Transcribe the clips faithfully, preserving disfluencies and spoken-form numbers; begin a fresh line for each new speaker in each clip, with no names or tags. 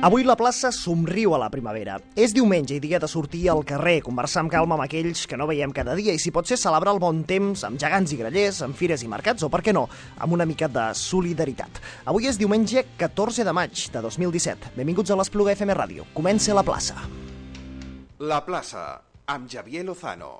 Avui la plaça somriu a la primavera. És diumenge i dia de sortir al carrer, conversar amb calma amb aquells que no veiem cada dia i, si pot ser, celebrar el bon temps amb gegants i grallers, amb fires i mercats o, per què no, amb una mica de solidaritat. Avui és diumenge catorze de maig de dos mil disset. Benvinguts a l'Espluga F M Ràdio. Comença La Plaça.
La Plaça, amb Javier Lozano.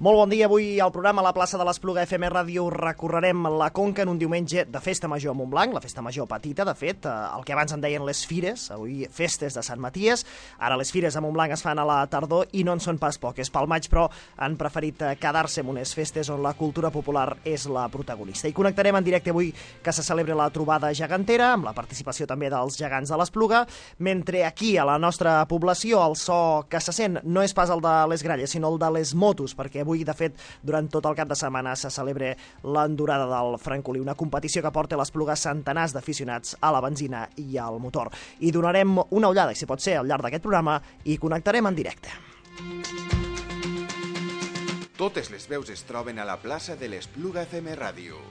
Molt bon dia. Avui al programa La Plaça de l'Espluga F M Ràdio recorrerem la Conca en un diumenge de festa major a Montblanc, la festa major petita, de fet, el que abans en deien les fires, avui festes de Sant Maties. Ara les fires a Montblanc es fan a la tardor i no en són pas poques. Pel maig, però, han preferit quedar-se en unes festes on la cultura popular és la protagonista. I connectarem en directe avui que se celebra la trobada gegantera, amb la participació també dels gegants de l'Espluga, mentre aquí, a la nostra població, el so que se sent no és pas el de les gralles, sinó el de les motos, perquè avui Avui, de fet, durant tot el cap de setmana se celebra l'endurada del Francolí, una competició que porta a l'Espluga centenars d'aficionats a la benzina i al motor. I donarem una ullada, si pot ser, al llarg d'aquest programa, i connectarem en directe.
Totes les veus es troben a la plaça de l'Espluga F M Ràdio.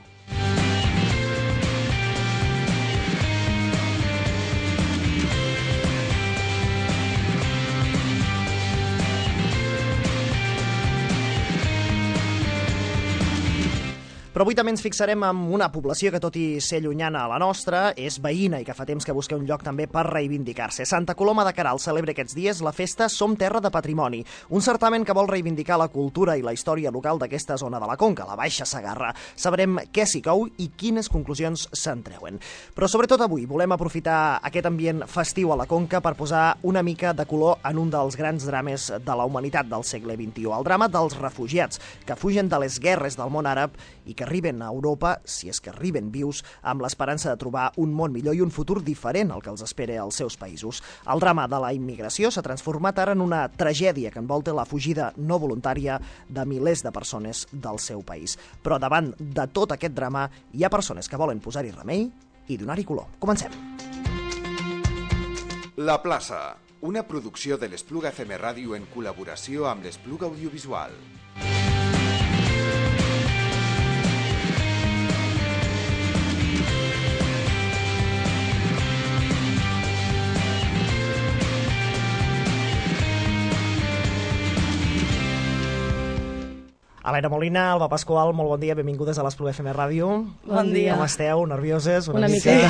Però avui també ens fixarem en una població que, tot i ser llunyana a la nostra, és veïna i que fa temps que busca un lloc també per reivindicar-se. Santa Coloma de Queralt celebra aquests dies la festa Som Terra de Patrimoni, un certamen que vol reivindicar la cultura i la història local d'aquesta zona de la Conca, la Baixa Segarra. Sabrem què s'hi cou i quines conclusions se'n treuen. Però sobretot avui volem aprofitar aquest ambient festiu a la Conca per posar una mica de color en un dels grans drames de la humanitat del segle vint-i-u, el drama dels refugiats que fugen de les guerres del món àrab i que arriben a Europa, si és que arriben vius, amb l'esperança de trobar un món millor i un futur diferent al que els espera als seus països. El drama de la immigració s'ha transformat ara en una tragèdia que envolta la fugida no voluntària de milers de persones del seu país. Però davant de tot aquest drama hi ha persones que volen posar-hi remei i donar-hi color. Comencem.
La Plaça, una producció de l'Espluga F M Ràdio en col·laboració amb l'Espluga Audiovisual.
Helena Molina, Alba Pasqual, molt bon dia, benvingudes a l'Espluga F M Ràdio.
Bon dia.
Com esteu? Nervioses?
Una, una mica. mica.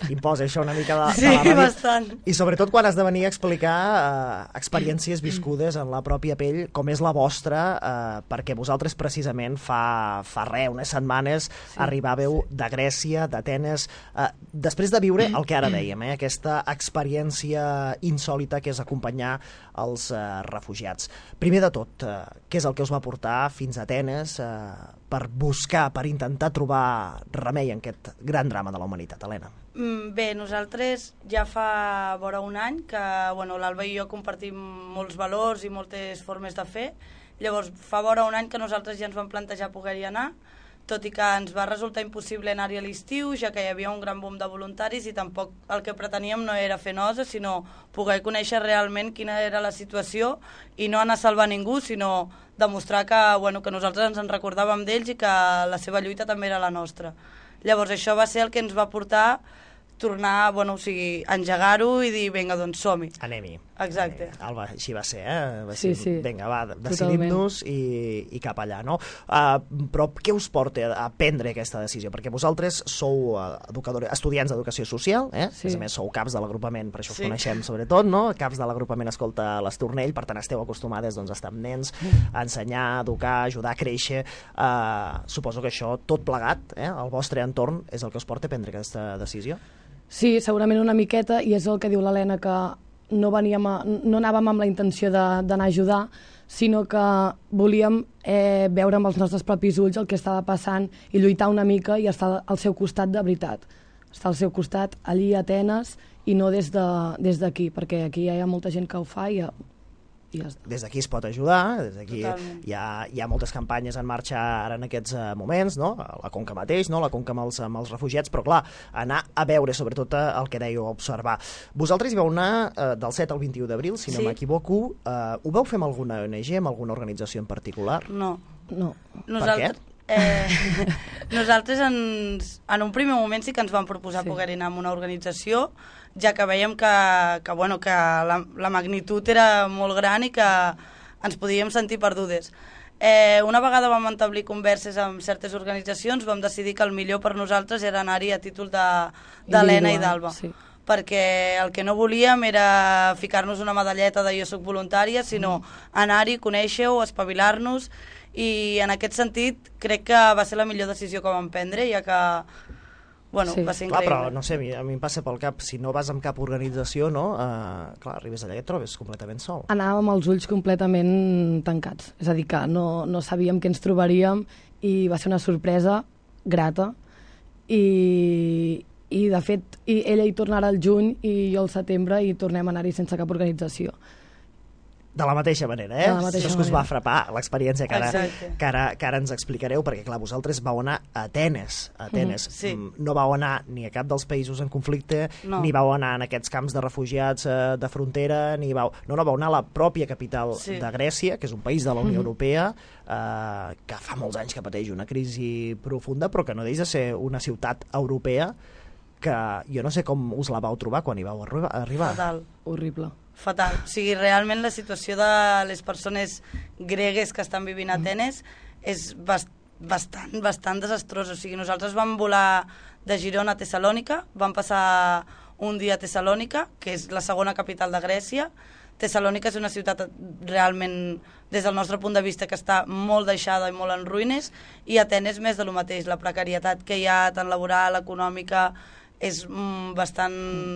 Sí. Imposa això una mica de,
sí,
de la ràdio.
Bastant.
I sobretot quan has de venir a explicar eh, experiències viscudes en la pròpia pell, com és la vostra, eh, perquè vosaltres precisament fa, fa res, unes setmanes, sí, arribàveu sí. de Grècia, d'Atenes, eh, després de viure el que ara dèiem, eh, aquesta experiència insòlita que és acompanyar els eh, refugiats. Primer de tot, eh, què és el que us va portar fins a Atenes eh, per buscar, per intentar trobar remei en aquest gran drama de la humanitat, Helena?
Bé, nosaltres ja fa vora un any que bueno, l'Alba i jo compartim molts valors i moltes formes de fer. Llavors, fa vora un any que nosaltres ja ens vam plantejar poder-hi anar, tot i que ens va resultar impossible anar-hi a l'estiu, ja que hi havia un gran boom de voluntaris i tampoc el que preteníem no era fer nosa, sinó poder conèixer realment quina era la situació i no anar a salvar ningú, sinó demostrar que, bueno, que nosaltres ens en recordàvem d'ells i que la seva lluita també era la nostra. Llavors això va ser el que ens va portar tornar, bueno, o sigui, engegar-ho i dir, vinga, doncs som-hi.
Anem-hi.
Exacte.
Eh, Alba, així va ser, eh? Va
sí,
ser,
sí.
Vinga, va, decidim-nos i, i cap allà, no? Uh, però què us porta a prendre aquesta decisió? Perquè vosaltres sou uh, educadores, estudiants d'educació social, eh? Sí. A més, sou caps de l'agrupament, per això us sí. coneixem sobretot, no? Caps de l'agrupament Escolta l'Estornell, per tant esteu acostumades doncs, a estar amb nens, a ensenyar, a educar, a ajudar a créixer. Uh, suposo que això, tot plegat, eh? El vostre entorn és el que us porta a prendre aquesta decisió?
Sí, segurament una miqueta, i és el que diu l'Helena, que no, veníem a, no anàvem amb la intenció d'anar a ajudar, sinó que volíem eh, veure amb els nostres propis ulls el que estava passant i lluitar una mica i estar al seu costat de veritat. Estar al seu costat allí a Atenes i no des d'aquí, de, des perquè aquí hi ha molta gent que ho fa i
Des d'aquí es pot ajudar, des d'aquí hi ha, hi ha moltes campanyes en marxa ara en aquests uh, moments, no? La Conca mateix, no? La Conca amb els, amb els refugiats, però clar, anar a veure, sobretot el que dèieu, observar. Vosaltres hi vau anar uh, del set al vint-i-u d'abril, si no sí. m'equivoco. Uh, ho vau fer amb alguna O N G, amb alguna organització en particular?
No.
no.
Per què?
Eh, nosaltres ens, en un primer moment sí que ens vam proposar sí. poder anar a una organització, ja que veiem que, que, bueno, que la, la magnitud era molt gran i que ens podíem sentir perdudes. Eh, una vegada vam establir converses amb certes organitzacions, vam decidir que el millor per nosaltres era anar-hi a títol d'Helena i d'Alba. Sí. Perquè el que no volíem era ficar-nos una medalleta de jo soc voluntària, sinó mm. anar-hi, conèixer-ho, espavilar-nos, i en aquest sentit crec que va ser la millor decisió que vam prendre, ja que bueno, sí. va ser increïble.
Clar, però no sé, a mi, a mi em passa pel cap, si no vas amb cap organització, no? Uh, clar, arribes allà i et trobes completament sol.
Anàvem amb els ulls completament tancats, és a dir, que no, no sabíem què ens trobaríem i va ser una sorpresa grata i, i de fet i ella hi tornarà al juny i jo al setembre i tornem a anar-hi sense cap organització.
De la mateixa manera, eh?
De la mateixa
Això és que us va frapar l'experiència que, ara, que, ara, que ara ens explicareu, perquè clar, vosaltres vau anar a Atenes, a Atenes. Mm, sí. No vau anar ni a cap dels països en conflicte, no. ni vau anar en aquests camps de refugiats eh, de frontera, ni vau... No, no, vau anar a la pròpia capital sí. de Grècia, que és un país de la Unió mm-hmm. Europea, eh, que fa molts anys que pateix una crisi profunda, però que no deixa de ser una ciutat europea que jo no sé com us la vau trobar quan hi vau arribar.
Fatal.
Horrible.
Fatal. O sigui, realment la situació de les persones gregues que estan vivint a Atenes és bast bastant, bastant desastrosa. O sigui, nosaltres vam volar de Girona a Tessalònica, vam passar un dia a Tessalònica, que és la segona capital de Grècia. Tessalònica és una ciutat realment, des del nostre punt de vista, que està molt deixada i molt en ruïnes, i Atenes més de lo mateix. La precarietat que hi ha, tant laboral, econòmica, és mm, bastant,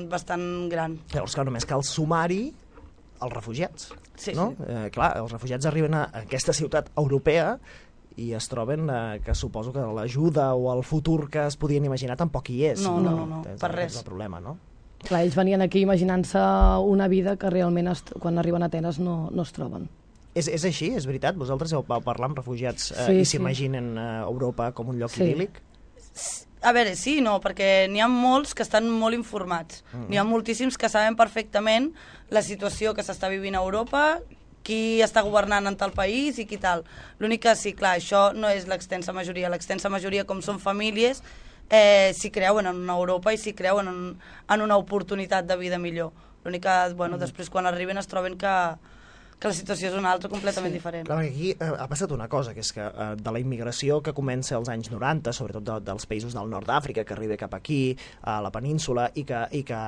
bastant gran.
Llavors, clar, només cal sumar-hi els refugiats.
Sí,
no?
sí.
Eh, clar, els refugiats arriben a aquesta ciutat europea i es troben eh, que suposo que l'ajuda o el futur que es podien imaginar tampoc hi és.
No, no, no, no,
és,
per res.
És el problema, no?
Clar, ells venien aquí imaginant-se una vida que realment es, quan arriben a Atenes no, no es troben.
És, és així, és veritat? Vosaltres heu parlat amb refugiats eh,
sí,
i s'imaginen sí. eh, Europa com un lloc
sí.
idíl·lic?
A veure, sí, no, perquè n'hi ha molts que estan molt informats. Mm. N'hi ha moltíssims que saben perfectament la situació que s'està vivint a Europa, qui està governant en tal país i qui tal. L'únic que sí, clar, això no és l'extensa majoria. L'extensa majoria, com són famílies, eh, s'hi creuen en una Europa i s'hi creuen en, en una oportunitat de vida millor. L'únic que, bueno, mm. després quan arriben es troben que... que la situació és una altra completament sí. diferent.
Clar, aquí eh, ha passat una cosa, que és que eh, de la immigració que comença als anys noranta, sobretot de, dels països del nord d'Àfrica, que arriba cap aquí, a la península, i que, i que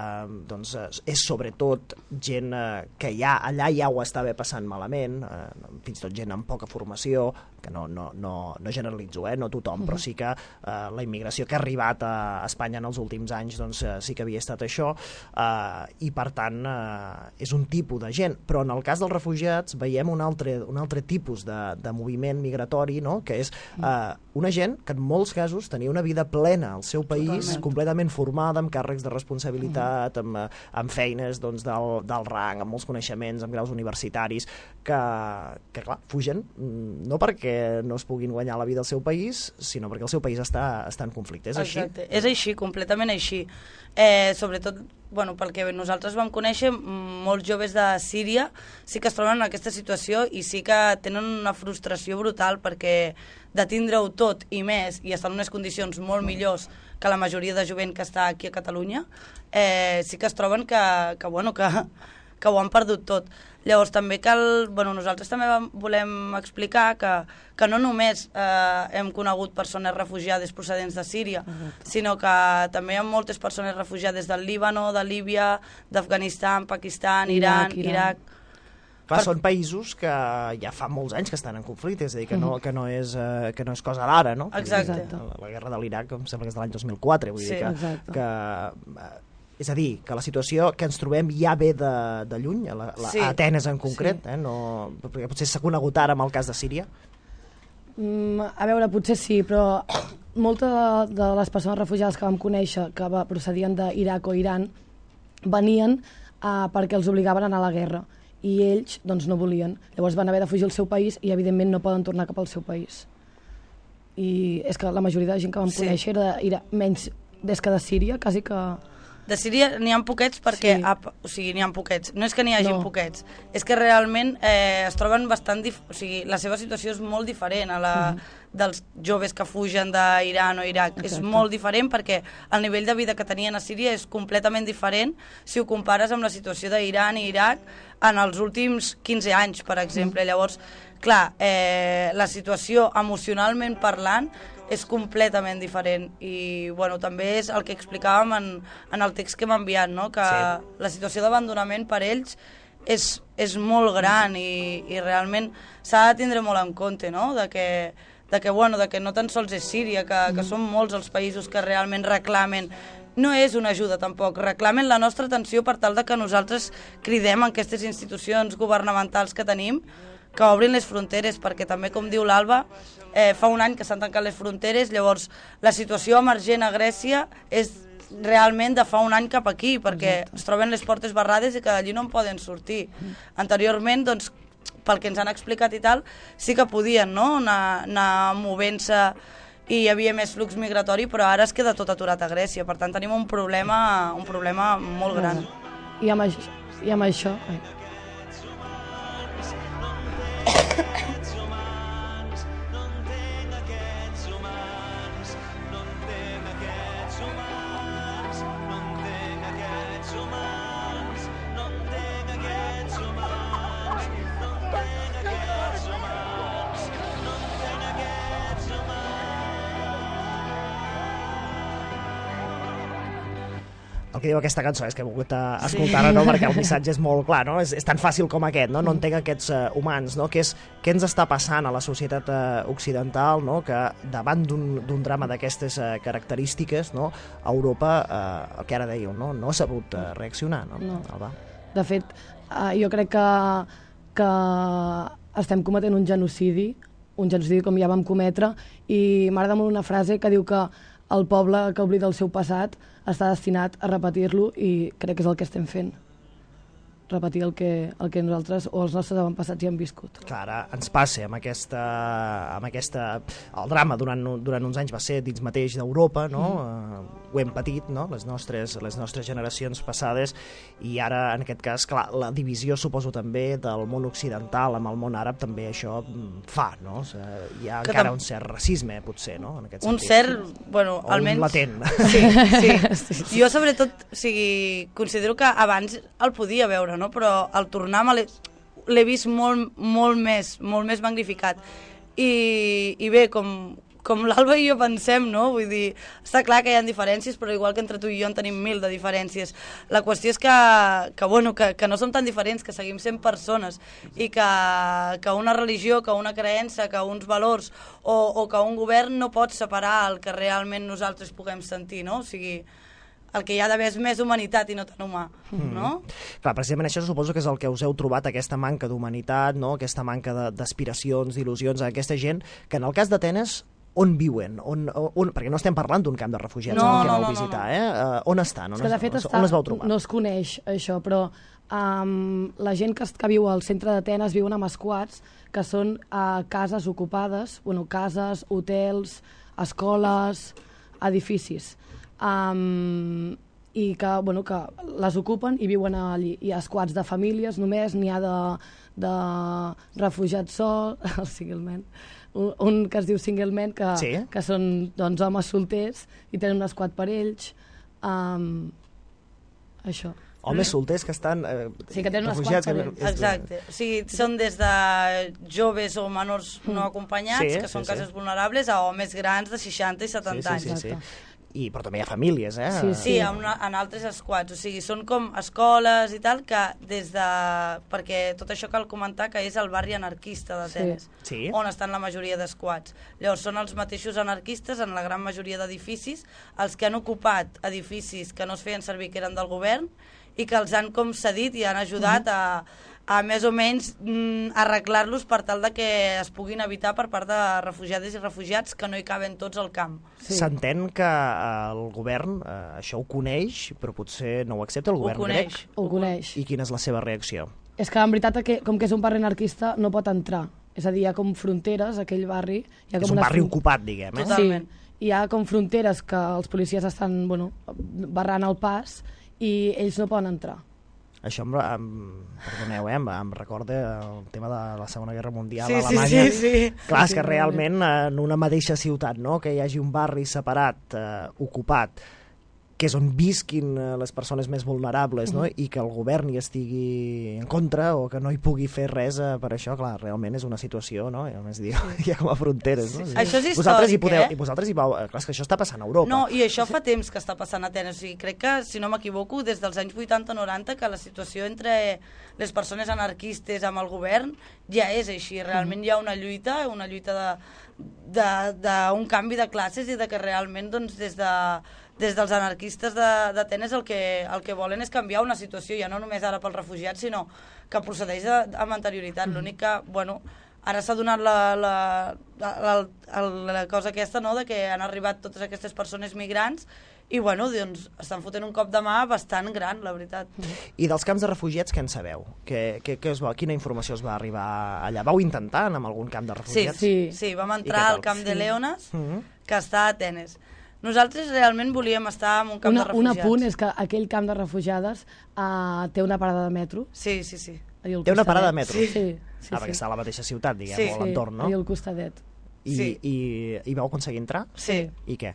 doncs, és sobretot gent eh, que ja, allà ja ho estava passant malament, eh, fins i tot gent amb poca formació, que no, no, no, no generalitzo, eh, no tothom, però sí que eh, la immigració que ha arribat a Espanya en els últims anys doncs, eh, sí que havia estat això, eh, i per tant eh, és un tipus de gent, però en el cas dels refugiats veiem un altre, un altre tipus de, de moviment migratori, no? Que és eh, una gent que en molts casos tenia una vida plena al seu país, totalment, completament formada, amb càrrecs de responsabilitat, amb, amb feines doncs, del, del rang, amb molts coneixements, amb graus universitaris, que, que clar, fugen no perquè no es puguin guanyar la vida al seu país, sinó perquè el seu país està, està en conflicte. És així?
Exacte, és així, completament així. Eh, sobretot, bueno, pel que nosaltres vam conèixer, molts joves de Síria sí que es troben en aquesta situació i sí que tenen una frustració brutal perquè de tindre-ho tot i més i estar en unes condicions molt millors que la majoria de jovent que està aquí a Catalunya, eh, sí que es troben que, que, bueno, que, que ho han perdut tot. Llavors també cal, bueno, nosaltres també vam, volem explicar que, que no només eh, hem conegut persones refugiades procedents de Síria, uh-huh. sinó que també hi ha moltes persones refugiades del Líbano, de Líbia, d'Afganistan, Pakistan, Iran, Iran. Iraq...
Clar, per... són països que ja fa molts anys que estan en conflicte, és a dir, que no, que no, és, uh, que no és cosa d'ara, no?
Exacte.
La, la guerra de l'Iraq em sembla que és de l'any dos mil quatre, vull
sí,
dir que...
exacte.
que uh, és a dir, que la situació que ens trobem ja ve de, de lluny, a, la, la, sí. a Atenes en concret, sí. eh? No, perquè potser s'ha conegut ara amb el cas de Síria.
Mm, a veure, potser sí, però moltes de, de les persones refugiades que vam conèixer, que va, procedien d'Iraq o Iran, venien uh, perquè els obligaven a anar a la guerra, i ells doncs, no volien. Llavors van haver de fugir al seu país i, evidentment, no poden tornar cap al seu país. I és que la majoria de gent que vam sí. conèixer era, era menys des que de Síria, quasi que...
De Síria n'hi ha poquets perquè...
Sí.
A, o sigui, n'hi ha poquets. No és que n'hi hagi
No.
poquets, és que realment eh, es troben bastant... Dif... O sigui, la seva situació és molt diferent a la mm. dels joves que fugen d'Iran o Iraq.
Exacte.
És molt diferent perquè el nivell de vida que tenien a Síria és completament diferent si ho compares amb la situació d'Iran i Iraq en els últims quinze anys, per exemple. Mm. Llavors, clar, eh, la situació emocionalment parlant és completament diferent i bueno, també és el que explicàvem en, en el text que m'ha enviat, no? Que sí. La situació d'abandonament per ells és, és molt gran i, i realment s'ha de tindre molt en compte, no? De que, de que, bueno, de que no tan sols és Síria, que, que són molts els països que realment reclamen. No és una ajuda tampoc, reclamen la nostra atenció per tal de que nosaltres cridem en aquestes institucions governamentals que tenim que obrin les fronteres, perquè també, com diu l'Alba, eh, fa un any que s'han tancat les fronteres, llavors la situació emergent a Grècia és realment de fa un any cap aquí, perquè Exacte. Es troben les portes barrades i que d'allí no en poden sortir. Anteriorment, doncs, pel que ens han explicat i tal, sí que podien, no?, anar, anar movent-se i hi havia més flux migratori, però ara es queda tot aturat a Grècia, per tant tenim un problema, un problema molt gran.
I amb això... I amb això ai.
El que diu aquesta cançó és que he volgut escoltar-la, no? Perquè el missatge és molt clar, no? És, és tan fàcil com aquest, no? No entenc aquests uh, humans, no? Què, és, què ens està passant a la societat uh, occidental, no? Que davant d'un drama d'aquestes uh, característiques, no? Europa, uh, el que ara dèieu, no? No ha sabut uh, reaccionar, no?
No.
Alba.
De fet, uh, jo crec que, que estem cometent un genocidi, un genocidi com ja vam cometre, i m'agrada molt una frase que diu que el poble que oblida el seu passat està destinat a repetir-lo i crec que és el que estem fent. Repetir el que, el que nosaltres o els nostres avantpassats ja han viscut.
Clar, ara ens passa amb aquesta, amb aquesta... El drama durant, durant uns anys va ser dins mateix d'Europa, no? Mm. Uh, ho hem patit, no? Les nostres, les nostres generacions passades, i ara, en aquest cas, clar, la divisió, suposo, també del món occidental amb el món àrab també això fa, no? O sigui, hi ha que encara tam... un cert racisme, potser, no? En aquest
un
sentit.
cert, bueno,
o
almenys...
un latent.
Sí, sí. sí, sí. Jo, sobretot, o sigui, considero que abans el podia veure, no? Però al tornar l'he vist molt, molt més, molt més magnificat. I, i bé, com, com l'Alba i jo pensem, no? Vull dir, està clar que hi ha diferències, però igual que entre tu i jo en tenim mil de diferències. La qüestió és que, que, bueno, que, que no som tan diferents, que seguim sent persones i que, que una religió, que una creença, que uns valors o, o que un govern no pot separar el que realment nosaltres puguem sentir, no? O sigui, el que hi ha d'haver és més humanitat i no tan humà, mm. no?
Clar, precisament això suposo que és el que us heu trobat, aquesta manca d'humanitat, no? Aquesta manca d'aspiracions, d'il·lusions a aquesta gent, que en el cas d'Atenes, on viuen? On, on, perquè no estem parlant d'un camp de refugiats
no,
en el que
no,
vau
no,
visitar,
no, no.
eh? Uh, on estan? On,
és que, de
es,
fet,
on,
està,
on les vau trobar?
No es coneix això, però um, la gent que, que viu al centre d'Atenes viuen en esquats, que són uh, cases ocupades, bueno, cases, hotels, escoles, edificis. Um, i que, bueno, que les ocupen i viuen allí. Hi ha esquats de famílies només, n'hi ha de, de refugiats sol, el singleman, un, un que es diu singleman, que,
sí?
que són doncs, homes solters i tenen un esquat per ells. Um, això.
Homes solters que estan eh,
sí, que tenen
refugiats.
Que...
Exacte. O sigui, són des de joves o menors no acompanyats,
sí,
que són
sí,
cases
sí.
vulnerables, a homes grans de seixanta i setanta
sí, sí,
anys.
sí, sí. I, però també hi ha famílies, eh?
Sí,
Sí, en, una, en altres esquats, o sigui, són com escoles i tal, que des de... Perquè tot això cal comentar que és el barri anarquista d'Atenes,
sí.
on estan la majoria d'esquats. Llavors són els mateixos anarquistes en la gran majoria d'edificis, els que han ocupat edificis que no es feien servir, que eren del govern, i que els han com cedit i han ajudat a... a més o menys mm, arreglar-los per tal de que es puguin evitar per part de refugiades i refugiats que no hi caben tots al camp.
S'entén sí. que eh, el govern eh, això ho coneix, però potser no ho accepta el govern
ho coneix.
grec.
Ho coneix.
I quina és la seva reacció?
És que en veritat, que, com que és un barri anarquista, no pot entrar. És a dir, hi ha com fronteres, aquell barri... Hi ha com
és un
unes
barri
fron-
ocupat, diguem, eh?
Totalment.
Sí, hi ha com fronteres que els policies estan, bueno, barrant el pas i ells no poden entrar.
Això, em, em, perdoneu, eh, em, em recorda el tema de la Segona Guerra Mundial
Sí,
a
sí,
Alemanya.
sí, sí.
Clar,
Sí,
és que
sí,
realment en una mateixa ciutat, no?, que hi hagi un barri separat, eh, ocupat, que és on visquin eh, les persones més vulnerables, no?, i que el govern hi estigui en contra o que no hi pugui fer res eh, per això, clar, realment és una situació, no?, i a més, diu, hi ha com a fronteres, no?
Sí, sí. Això és
vosaltres hi
històric,
podeu,
eh?
I vosaltres hi vau... Clar, és que això està passant a Europa.
No, i això fa temps que està passant a Atenes. O sigui, crec que, si no m'equivoco, des dels anys vuitanta noranta, que la situació entre les persones anarquistes amb el govern ja és així. Realment hi ha una lluita, una lluita d'un canvi de classes i de que realment, doncs, des de des dels anarquistes d'Atenes el, que, el que volen és canviar una situació, ja no només ara pels refugiats, sinó que procedeix de, amb anterioritat. L'únic que, bueno, ara s'ha donat la, la, la, la, la cosa aquesta, no?, de que han arribat totes aquestes persones migrants i, bueno, doncs, estan fotent un cop de mà bastant gran, la veritat.
I dels camps de refugiats, què en sabeu? Que, que, que us va, quina informació us va arribar allà? Vau intentar anar a algun camp de
Sí,
refugiats?
sí,
Sí.
sí, vam entrar al camp
Sí.
de Leones,
Mhm.
que està a Atenes. Nosaltres realment volíem estar en un camp
Una,
de
un
refugiats.
apunt és que aquell camp de refugiades uh, té una parada de metro.
Sí, sí, sí.
Allà al
Té una
costadet.
parada de metro?
Sí, sí. sí,
Ah, perquè
sí.
està a la mateixa ciutat, diguem,
Sí.
o a l'entorn, no?
allà al costadet.
I,
Sí.
i, I vau aconseguir entrar?
Sí.
I què?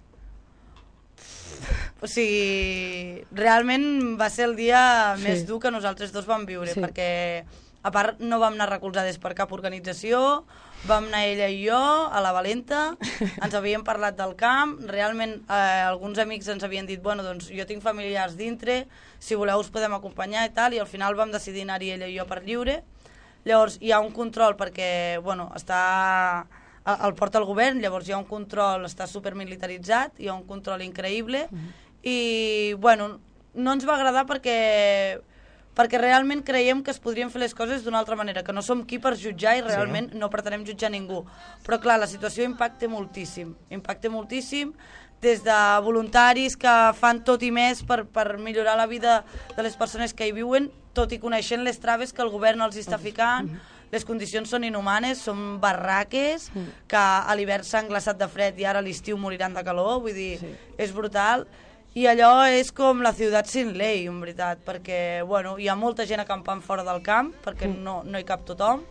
O sigui, realment va ser el dia
Sí.
més dur que nosaltres dos vam viure,
Sí.
perquè a part no vam anar recolzades per cap organització, vam anar ella i jo a la Valenta, ens havíem parlat del camp, realment eh, alguns amics ens havien dit, bueno, doncs jo tinc familiars dintre, si voleu us podem acompanyar i tal, i al final vam decidir anar-hi ella i jo per lliure. Llavors hi ha un control perquè, bueno, està... el el porta el govern, llavors hi ha un control, està supermilitaritzat, hi ha un control increïble, i, bueno, no ens va agradar perquè perquè realment creiem que es podrien fer les coses d'una altra manera, que no som qui per jutjar i realment sí. no pretenem jutjar ningú. Però clar, la situació impacta moltíssim, impacta moltíssim, des de voluntaris que fan tot i més per, per millorar la vida de les persones que hi viuen, tot i coneixent les traves que el govern els està ficant, les condicions són inhumanes, són barraques, que a l'hivern s'han glaçat de fred i ara a l'estiu moriran de calor, vull dir, sí. és brutal. I allò és com la ciutat sin ley, en veritat, perquè bueno, hi ha molta gent acampant fora del camp, perquè mm. no, no hi cap tothom,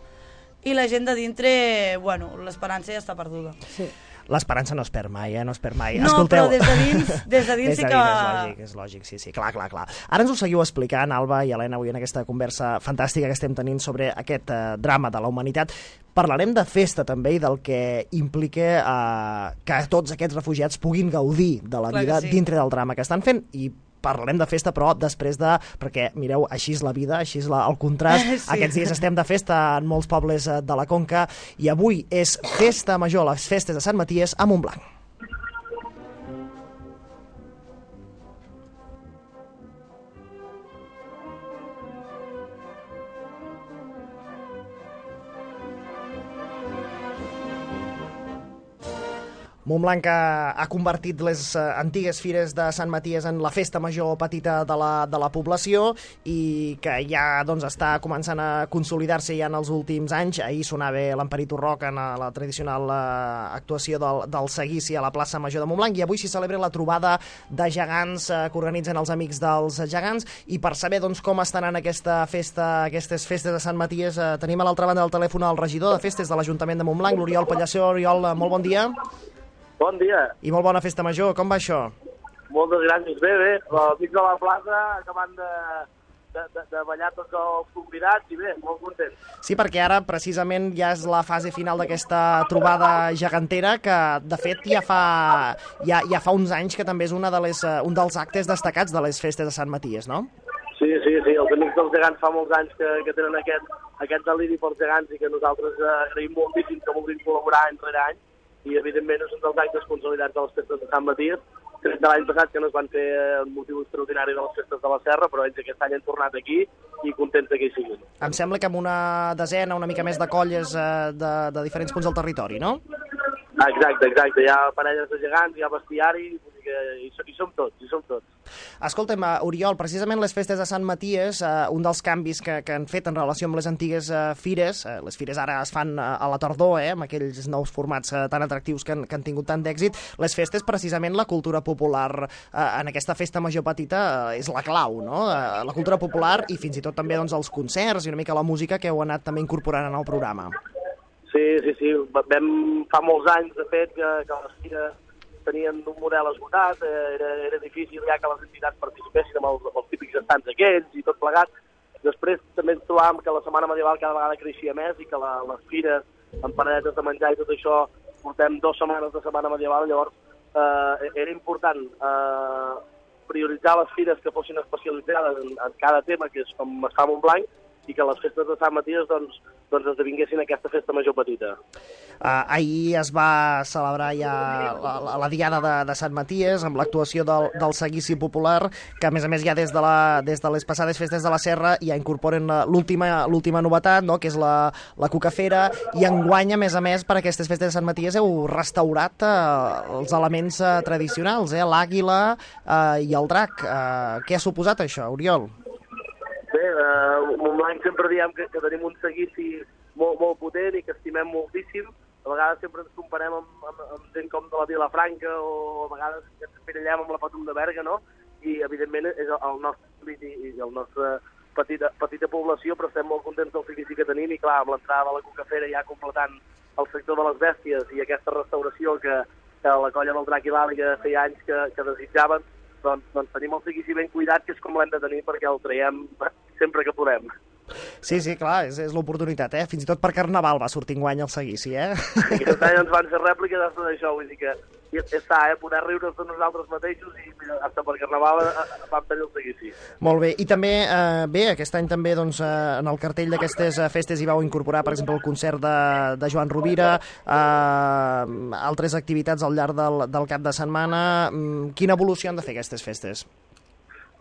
i la gent de dintre, bueno, l'esperança ja està perduda.
Sí.
L'esperança no es perd mai, eh? No es perd mai.
No,
Escolteu...
però des de dins, des de dins
des
sí
de
que...
dins, és lògic, és lògic, sí, sí, clar, clar, clar. Ara ens ho seguiu explicant, Alba i Helena, avui en aquesta conversa fantàstica que estem tenint sobre aquest eh, drama de la humanitat. Parlarem de festa també i del que implica eh, que tots aquests refugiats puguin gaudir de la
Clar
vida
que sí.
dintre del drama que estan fent, i parlarem de festa, però després de... Perquè, mireu, així és la vida, així és la, el contrast.
Sí.
Aquests dies estem de festa en molts pobles eh, de la Conca, i avui és festa major, les festes de Sant Maties a Montblanc. Montblanc ha convertit les eh, antigues fires de Sant Maties en la festa major petita de la, de la població, i que ja doncs, està començant a consolidar-se ja en els últims anys. Ahir sonava l'Emperit Rock en la tradicional eh, actuació del, del seguici a la plaça Major de Montblanc, i avui s'hi celebra la trobada de gegants eh, que organitzen els Amics dels Gegants. I per saber doncs, com estan en aquesta festa, aquestes festes de Sant Maties, eh, tenim a l'altra banda del telèfon el regidor de festes de l'Ajuntament de Montblanc, l'Oriol Pallassó. Oriol, eh, molt bon dia.
Bon dia.
I molt bona festa major, com va això?
Moltes gràcies. Bé, bé. Amics de la plaça acabant de, de, de, de ballar tots els convidats i bé, molt content.
Sí, perquè ara precisament ja és la fase final d'aquesta trobada gegantera, que de fet ja fa, ja, ja fa uns anys que també és una de les, un dels actes destacats de les festes de Sant Maties, no?
Sí, sí, sí. Els Amics dels Gegants fa molts anys que, que tenen aquest, aquest deliri pels gegants i que nosaltres eh, agraïm moltíssim que vulguin col·laborar any rere any. I, evidentment, és un dels actes consolidats de les festes de Sant Maties. Crec de l'any passat que no es van fer un motiu extraordinari de les festes de la Serra, però ells aquest any han tornat aquí i contents que hi siguin.
Em sembla que amb una desena, una mica més de colles eh, de, de diferents punts del territori, no?
Exacte, exacte. Hi ha parelles de gegants, hi ha bestiari, vull dir que hi, hi som tots, hi som tots.
Escolta'm, Oriol, precisament les festes de Sant Maties, eh, un dels canvis que, que han fet en relació amb les antigues eh, fires, eh, les fires ara es fan eh, a la tardor, eh, amb aquells nous formats eh, tan atractius que han, que han tingut tant d'èxit, les festes, precisament la cultura popular eh, en aquesta festa major petita eh, és la clau, no? Eh, la cultura popular i fins i tot també doncs, els concerts i una mica la música que heu anat també incorporant en el programa.
Sí, sí, sí. Vam, fa molts anys, de fet, que, que les fires tenien un model esgotat, eh, era, era difícil ja que les entitats participessin amb els, els típics estants aquells i tot plegat. Després també ens trobàvem que la Setmana Medieval cada vegada creixia més i que la, les fires amb paradetes de menjar i tot això, portem dues setmanes de Setmana Medieval, llavors eh, era important eh, prioritzar les fires que fossin especialitzades en, en cada tema, que és com es fa a Montblanc, i que les festes de Sant Maties doncs, doncs esdevinguessin aquesta festa major petita.
Uh, ahir es va celebrar ja la, la, la Diada de, de Sant Maties amb l'actuació del, del Seguici Popular, que a més a més ja des de, la, des de les passades festes de la Serra ja incorporen l'última l'última novetat, no?, que és la, la Cucafera, i enguany, a més a més, per aquestes festes de Sant Maties heu restaurat uh, els elements uh, tradicionals, eh? l'àguila uh, i el drac. Uh, què ha suposat això, Oriol?
Bé, uh, Montblanc sempre diem que, que tenim un seguici molt, molt potent i que estimem moltíssim. A vegades sempre ens comparem amb, amb, amb gent com de la Vilafranca o a vegades ens espirallem amb la Patum de Berga, no? I, evidentment, és el, el nostre i, i el nostre petita, petita població, però estem molt contents del seguici que tenim i, clar, amb l'entrada de la Cucafera ja completant el sector de les bèsties i aquesta restauració que, que la colla del Drac i l'Àliga feia anys que, que desitjaven, doncs, doncs tenim el seguici ben cuidat, que és com l'hem de tenir perquè el traiem sempre que podem.
Sí, sí, clar, és, és l'oportunitat, eh? Fins i tot per Carnaval va sortir enguany el seguici, eh?
Aquest any ens van fer rèpliques de tot això, vull dir que està, eh? Poder riure de nosaltres mateixos i mira, fins per Carnaval vam tenir el seguici.
Molt bé, i també, eh, bé, aquest any també doncs, eh, en el cartell d'aquestes eh, festes hi vau incorporar, per exemple, el concert de, de Joan Rovira, eh, altres activitats al llarg del, del cap de setmana. Quina evolució han de fer aquestes festes?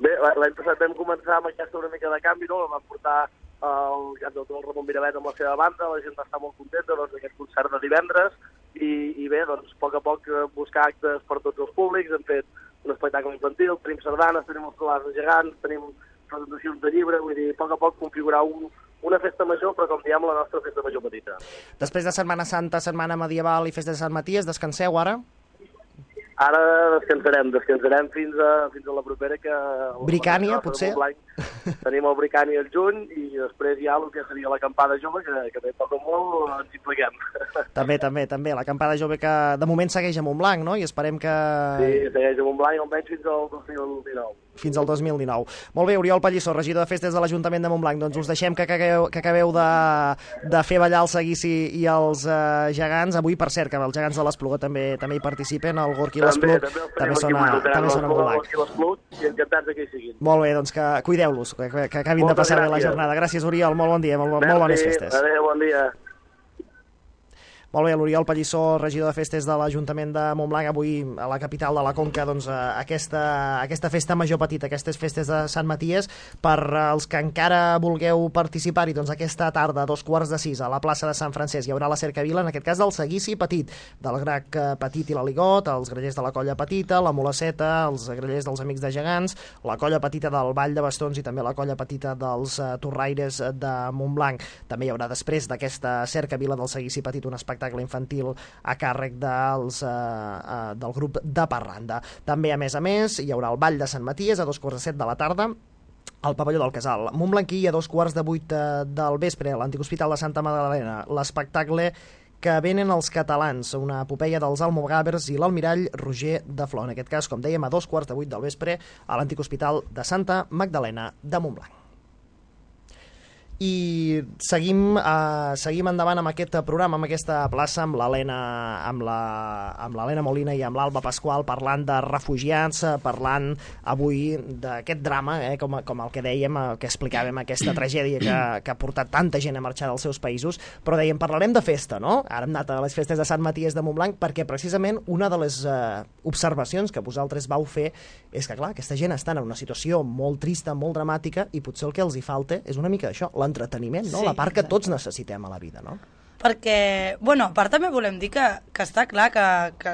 Bé, l'any passat vam començar amb aquesta una mica de canvi, no? Vam portar el cantautor el Ramon Miravet amb la seva banda, la gent va estar molt contenta doncs, d'aquest concert de divendres, i, i bé, doncs, a poc a poc buscar actes per tots els públics, hem fet un espectacle infantil, tenim sardanes, tenim els solars de gegants, tenim presentacions de llibre, vull dir, a poc a poc configurar un, una festa major, però com diem, la nostra festa major petita.
Després de Setmana Santa, Setmana Medieval i Festa de Sant Maties, descanseu ara?
Ara descansarem, descansarem fins a, fins a la propera que...
Bricània, potser?
Tenim el Bricània al juny i després hi ha el que seria l'acampada jove, que, que també toca molt, ens hi pleguem.
També, també, també. L'acampada jove que de moment segueix a Montblanc, no? I esperem que...
Sí, segueix a Montblanc almenys fins al dos mil dinou.
Fins al dos mil dinou. Molt bé, Oriol Pallissó, regidor de festes de l'Ajuntament de Montblanc, doncs us deixem que acabeu, que acabeu de, de fer ballar el seguici i els uh, gegants. Avui, per cert, que els gegants de l'Espluga també també hi participen, el Gorky i l'Espluc també, també, sona, també sona Montblanc.
I encantats que hi siguin.
Molt bé, doncs que cuideu-los, que, que acabin
Moltes
de passar
gràcies.
bé la jornada. Gràcies, Oriol, molt bon dia, molt, molt bones festes.
Adéu, bon dia.
Molt bé, l'Oriol Pallissó, regidor de festes de l'Ajuntament de Montblanc, avui a la capital de la Conca, doncs, aquesta, aquesta festa major petita, aquestes festes de Sant Maties, per als que encara vulgueu participar-hi, doncs aquesta tarda, a dos quarts de sis, a la plaça de Sant Francesc, hi haurà la cercavila, en aquest cas del seguici petit, del Grac Petit i l'Aligot, els grellers de la Colla Petita, la Molaceta, els grellers dels Amics de Gegants, la Colla Petita del Vall de Bastons i també la Colla Petita dels uh, Torraires de Montblanc. També hi haurà, després d'aquesta cercavila del seguici petit, un espectacle infantil a càrrec dels, uh, uh, del grup de Parranda. També, a més a més, hi haurà el Ball de Sant Maties a dos quarts de set de la tarda al pavelló del Casal. Montblanquí a dos quarts de vuit del vespre, a l'Antic Hospital de Santa Magdalena, l'espectacle Que venen els catalans, una epopeia dels almogàvers i l'almirall Roger de Flor. En aquest cas, com dèiem, a dos quarts de vuit del vespre a l'Antic Hospital de Santa Magdalena de Montblanc. I seguim, uh, seguim endavant amb aquest programa, amb aquesta plaça, amb l'Helena amb la, amb l'Helena Molina i amb l'Alba Pasqual, parlant de refugiats, parlant avui d'aquest drama, eh, com, com el que dèiem, el que explicàvem, aquesta tragèdia que, que ha portat tanta gent a marxar dels seus països, però dèiem, parlarem de festa, no? Ara hem anat a les festes de Sant Maties de Montblanc, perquè precisament una de les uh, observacions que vosaltres vau fer és que, clar, aquesta gent està en una situació molt trista, molt dramàtica, i potser el que els hi falta és una mica d'això, l'entreteniment, no? Sí, la part que tots necessitem a la vida, no?
Perquè, bueno, a part també volem dir que, que està clar que, que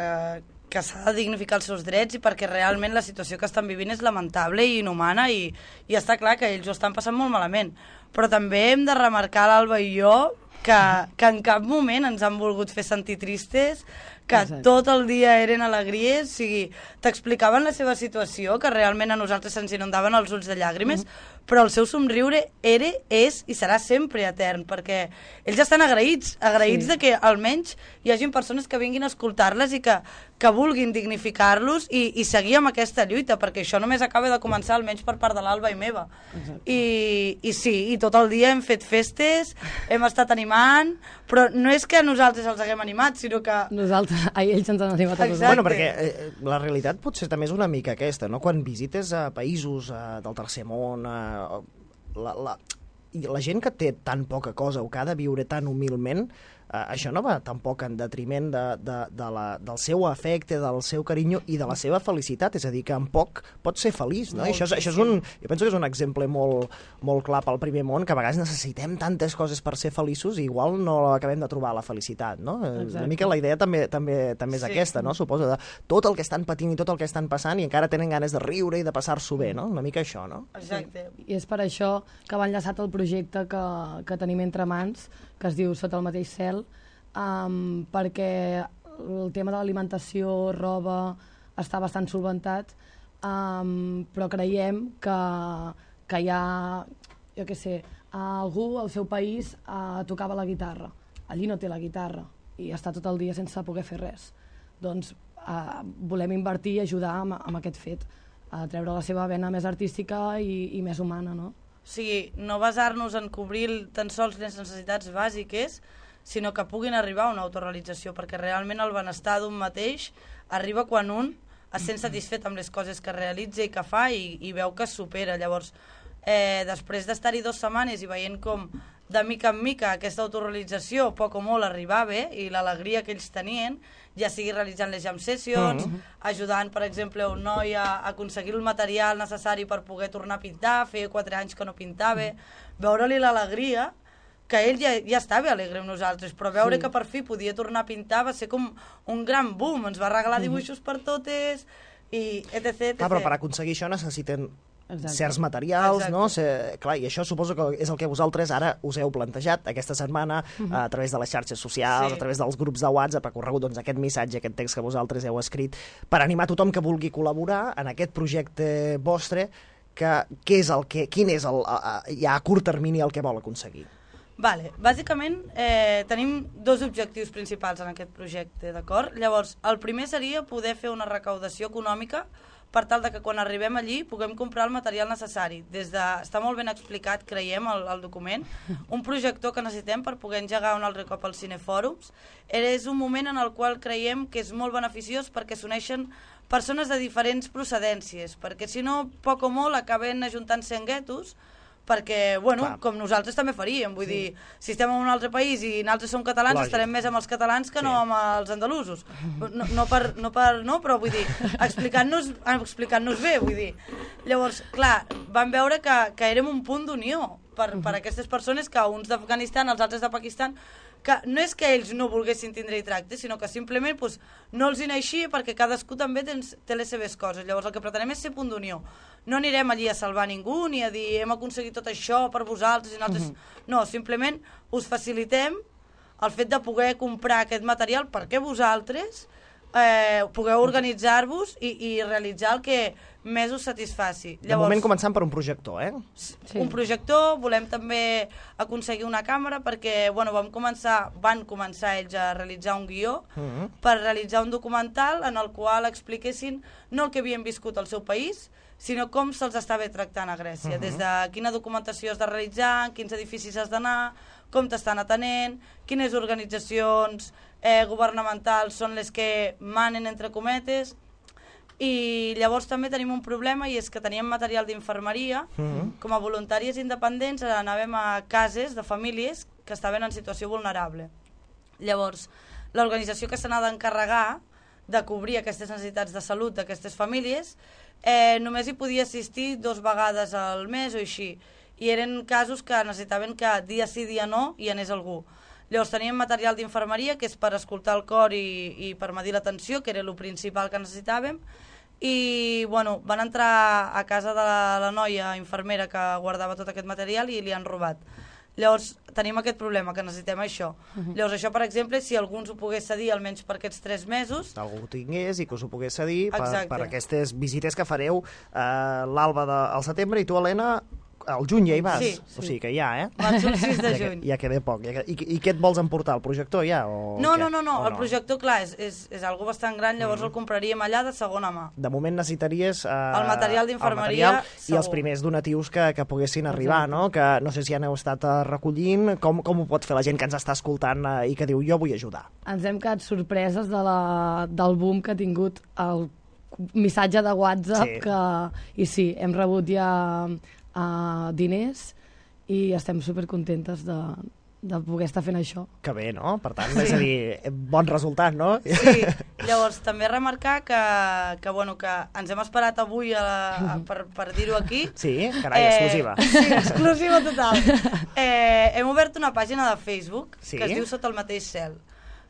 que s'ha de dignificar els seus drets i perquè realment la situació que estan vivint és lamentable i inhumana i, i està clar que ells ho estan passant molt malament. Però també hem de remarcar, l'Alba i jo, que, que en cap moment ens han volgut fer sentir tristes, que Exacte. Tot el dia eren alegries, o sigui, t'explicaven la seva situació, que realment a nosaltres se'ns inundaven els ulls de llàgrimes, mm-hmm. però el seu somriure era, és i serà sempre etern, perquè ells estan agraïts, agraïts sí. de que almenys hi hagin persones que vinguin a escoltar-les i que, que vulguin dignificar-los i, i seguir amb aquesta lluita, perquè això només acaba de començar, almenys per part de l'Alba i meva. I, I sí, i tot el dia hem fet festes, hem estat animant, però no és que nosaltres els haguem animat, sinó que...
Nosaltres, a ells ens han animat a nosaltres.
Bueno, perquè eh, la realitat potser també és una mica aquesta, no? Quan visites a països eh, del tercer món, eh, la, la, i la gent que té tan poca cosa o que ha de viure tan humilment, eh, això no va tampoc en detriment de, de, de la, del seu afecte, del seu carinyo i de la seva felicitat, és a dir, que en poc pot ser feliç, no? I això, és, això és un, jo penso que és un exemple molt, molt clar pel primer món, que a vegades necessitem tantes coses per ser feliços i igual no acabem de trobar la felicitat, no? Exacte. Una mica la idea també, també, també és sí. aquesta, no? Suposo, de tot el que estan patint i tot el que estan passant i encara tenen ganes de riure i de passar-s'ho bé, no? Una mica això, no?
Exacte.
Sí. I és per això que va enllaçat el projecte que, que tenim entre mans, que es diu Sota el mateix cel, um, perquè el tema de l'alimentació, roba, està bastant solventat, um, però creiem que, que hi ha, jo què sé, algú al seu país uh, tocava la guitarra, allí no té la guitarra i està tot el dia sense poder fer res. Doncs uh, volem invertir i ajudar amb, amb aquest fet, a treure la seva vena més artística i, i més humana, no?
O sigui, no basar-nos en cobrir tan sols les necessitats bàsiques, sinó que puguin arribar a una autorrealització, perquè realment el benestar d'un mateix arriba quan un es sent satisfet amb les coses que realitza i que fa i, i veu que es supera. Llavors, eh, després d'estar-hi dues setmanes i veient com de mica en mica aquesta autorrealització poc o molt arribava i l'alegria que ells tenien, ja sigui realitzant les jam sessions, mm. ajudant, per exemple, un noi a aconseguir el material necessari per poder tornar a pintar, feia quatre anys que no pintava, veure-li l'alegria, que ell ja, ja estava alegre amb nosaltres, però veure sí. que per fi podia tornar a pintar va ser com un gran boom, ens va regalar dibuixos per totes, i etc, etcètera.
Ah, però per aconseguir això necessiten
Exacte.
certs materials,
Exacte.
no? Se, clar, i això suposo que és el que vosaltres ara us heu plantejat aquesta setmana uh-huh. a través de les xarxes socials, sí. a través dels grups de WhatsApp, ha corregut doncs, aquest missatge, aquest text que vosaltres heu escrit, per animar tothom que vulgui col·laborar en aquest projecte vostre, que, que és el que, quin és el, a, a, ja a curt termini el que vol aconseguir?
Vale, bàsicament eh, tenim dos objectius principals en aquest projecte, d'acord? Llavors, el primer seria poder fer una recaudació econòmica per tal de que quan arribem allí puguem comprar el material necessari. Des de, està molt ben explicat, creiem, el, el document, un projector que necessitem per poder engegar un altre cop als cinefòrums. És un moment en el qual creiem que és molt beneficiós perquè s'uneixen persones de diferents procedències, perquè si no, poc o molt, acaben ajuntant-se en guetos, perquè, bueno, Clar. com nosaltres també faríem, vull sí. dir, si estem en un altre país i nosaltres som catalans, Lògic. estarem més amb els catalans que sí. no amb els andalusos. No, no, per, no per, no, però vull dir, explicant-nos explicant-nos bé, vull dir. Llavors, clar, vam veure que, que érem un punt d'unió per, per aquestes persones, que uns d'Afganistan, els altres de Pakistan, que no és que ells no volguessin tindre-hi tracte, sinó que simplement pues, no els hi naixia perquè cadascú també tens, té les seves coses. Llavors el que pretenem és ser punt d'unió. No anirem allí a salvar ningú ni a dir hem aconseguit tot això per vosaltres i nosaltres... Uh-huh. No, simplement us facilitem el fet de poder comprar aquest material perquè vosaltres eh, pugueu organitzar-vos i, i realitzar el que més us satisfaci.
Llavors, de moment començant per un projector, eh?
Sí. Un projector, volem també aconseguir una càmera perquè, bueno, vam començar, van començar ells a realitzar un guió uh-huh. per realitzar un documental en el qual expliquessin no el que havien viscut al seu país, sinó com se'ls estava tractant a Grècia, uh-huh. des de quina documentació has de realitzar, en quins edificis has d'anar, com t'estan atenent, quines organitzacions eh, governamentals són les que manen, entre cometes. I llavors també tenim un problema, i és que teníem material d'infermeria, uh-huh. com a voluntaris independents anàvem a cases de famílies que estaven en situació vulnerable. Llavors, l'organització que se n'ha d'encarregar de cobrir aquestes necessitats de salut d'aquestes famílies eh, només hi podia assistir dos vegades al mes o així, i eren casos que necessitaven que dia sí, dia no hi anés algú. Llavors teníem material d'infermeria, que és per escoltar el cor i, i per medir la tensió, que era el principal que necessitàvem, i bueno, van entrar a casa de la, la noia infermera que guardava tot aquest material i li han robat. Llavors tenim aquest problema, que necessitem això. Uh-huh. Llavors això, per exemple, si algú ens ho pogués cedir almenys per aquests tres mesos...
Algú ho tingués i que us ho pogués cedir per, per aquestes visites que fareu eh, l'Alba de, al setembre i tu, Helena, al juny ja hi vas?
Sí,
sí. O sigui que ja, eh?
Vaig el sis de juny.
Ja, ja queda poc. Ja, i, I què et vols emportar? El projector ja? O
no,
què?
no, no, no,
o
el projector, clar, és, és, és algo bastant gran, llavors mm. el compraríem allà de segona mà.
De moment necessitaries... Eh,
el material d'infermeria,
i els primers donatius que, que poguessin arribar, exacte, no? Que no sé si han estat recollint, com, com ho pot fer la gent que ens està escoltant eh, i que diu jo vull ajudar?
Ens hem quedat sorpreses de la, del boom que ha tingut el missatge de WhatsApp, sí. Que, i sí, hem rebut ja uh, diners i estem supercontentes de, de poder estar fent això.
Que bé, no? Per tant, sí. És a dir, bon resultat, no?
Sí, llavors també remarcar que, que, bueno, que ens hem esperat avui a la, a, per, per dir-ho aquí.
Sí, carai, eh, exclusiva.
Sí, exclusiva total. Eh, hem obert una pàgina de Facebook, sí, que es diu Sota el mateix cel,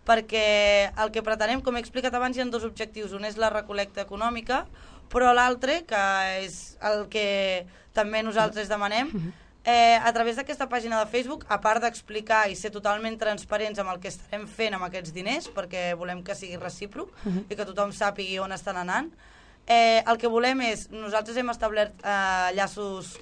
perquè el que pretenem, com he explicat abans, hi ha dos objectius. Un és la recol·lecta econòmica, però l'altre, que és el que també nosaltres demanem, eh, a través d'aquesta pàgina de Facebook, a part d'explicar i ser totalment transparents amb el que estarem fent amb aquests diners, perquè volem que sigui recíproc uh-huh. i que tothom sàpigui on estan anant, eh, el que volem és, nosaltres hem establert eh, llaços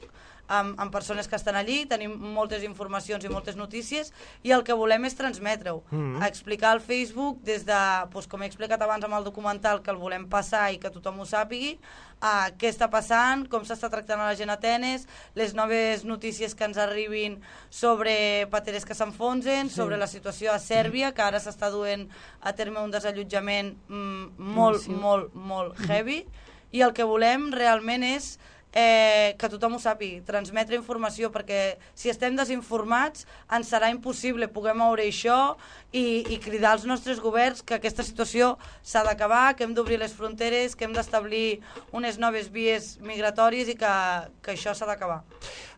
amb, amb persones que estan allí, tenim moltes informacions i moltes notícies, i el que volem és transmetre-ho, mm-hmm. explicar al Facebook des de, doncs, com he explicat abans amb el documental, que el volem passar i que tothom ho sàpigui, a què està passant, com s'està tractant a la gent a Atenes, les noves notícies que ens arribin sobre pateres que s'enfonsen, sí. sobre la situació a Sèrbia, que ara s'està duent a terme un desallotjament mm, molt, sí. molt, molt heavy, i el que volem realment és Eh, que tothom ho sàpigui, transmetre informació, perquè si estem desinformats ens serà impossible poder moure això i, i cridar als nostres governs que aquesta situació s'ha d'acabar, que hem d'obrir les fronteres, que hem d'establir unes noves vies migratòries i que, que això s'ha d'acabar.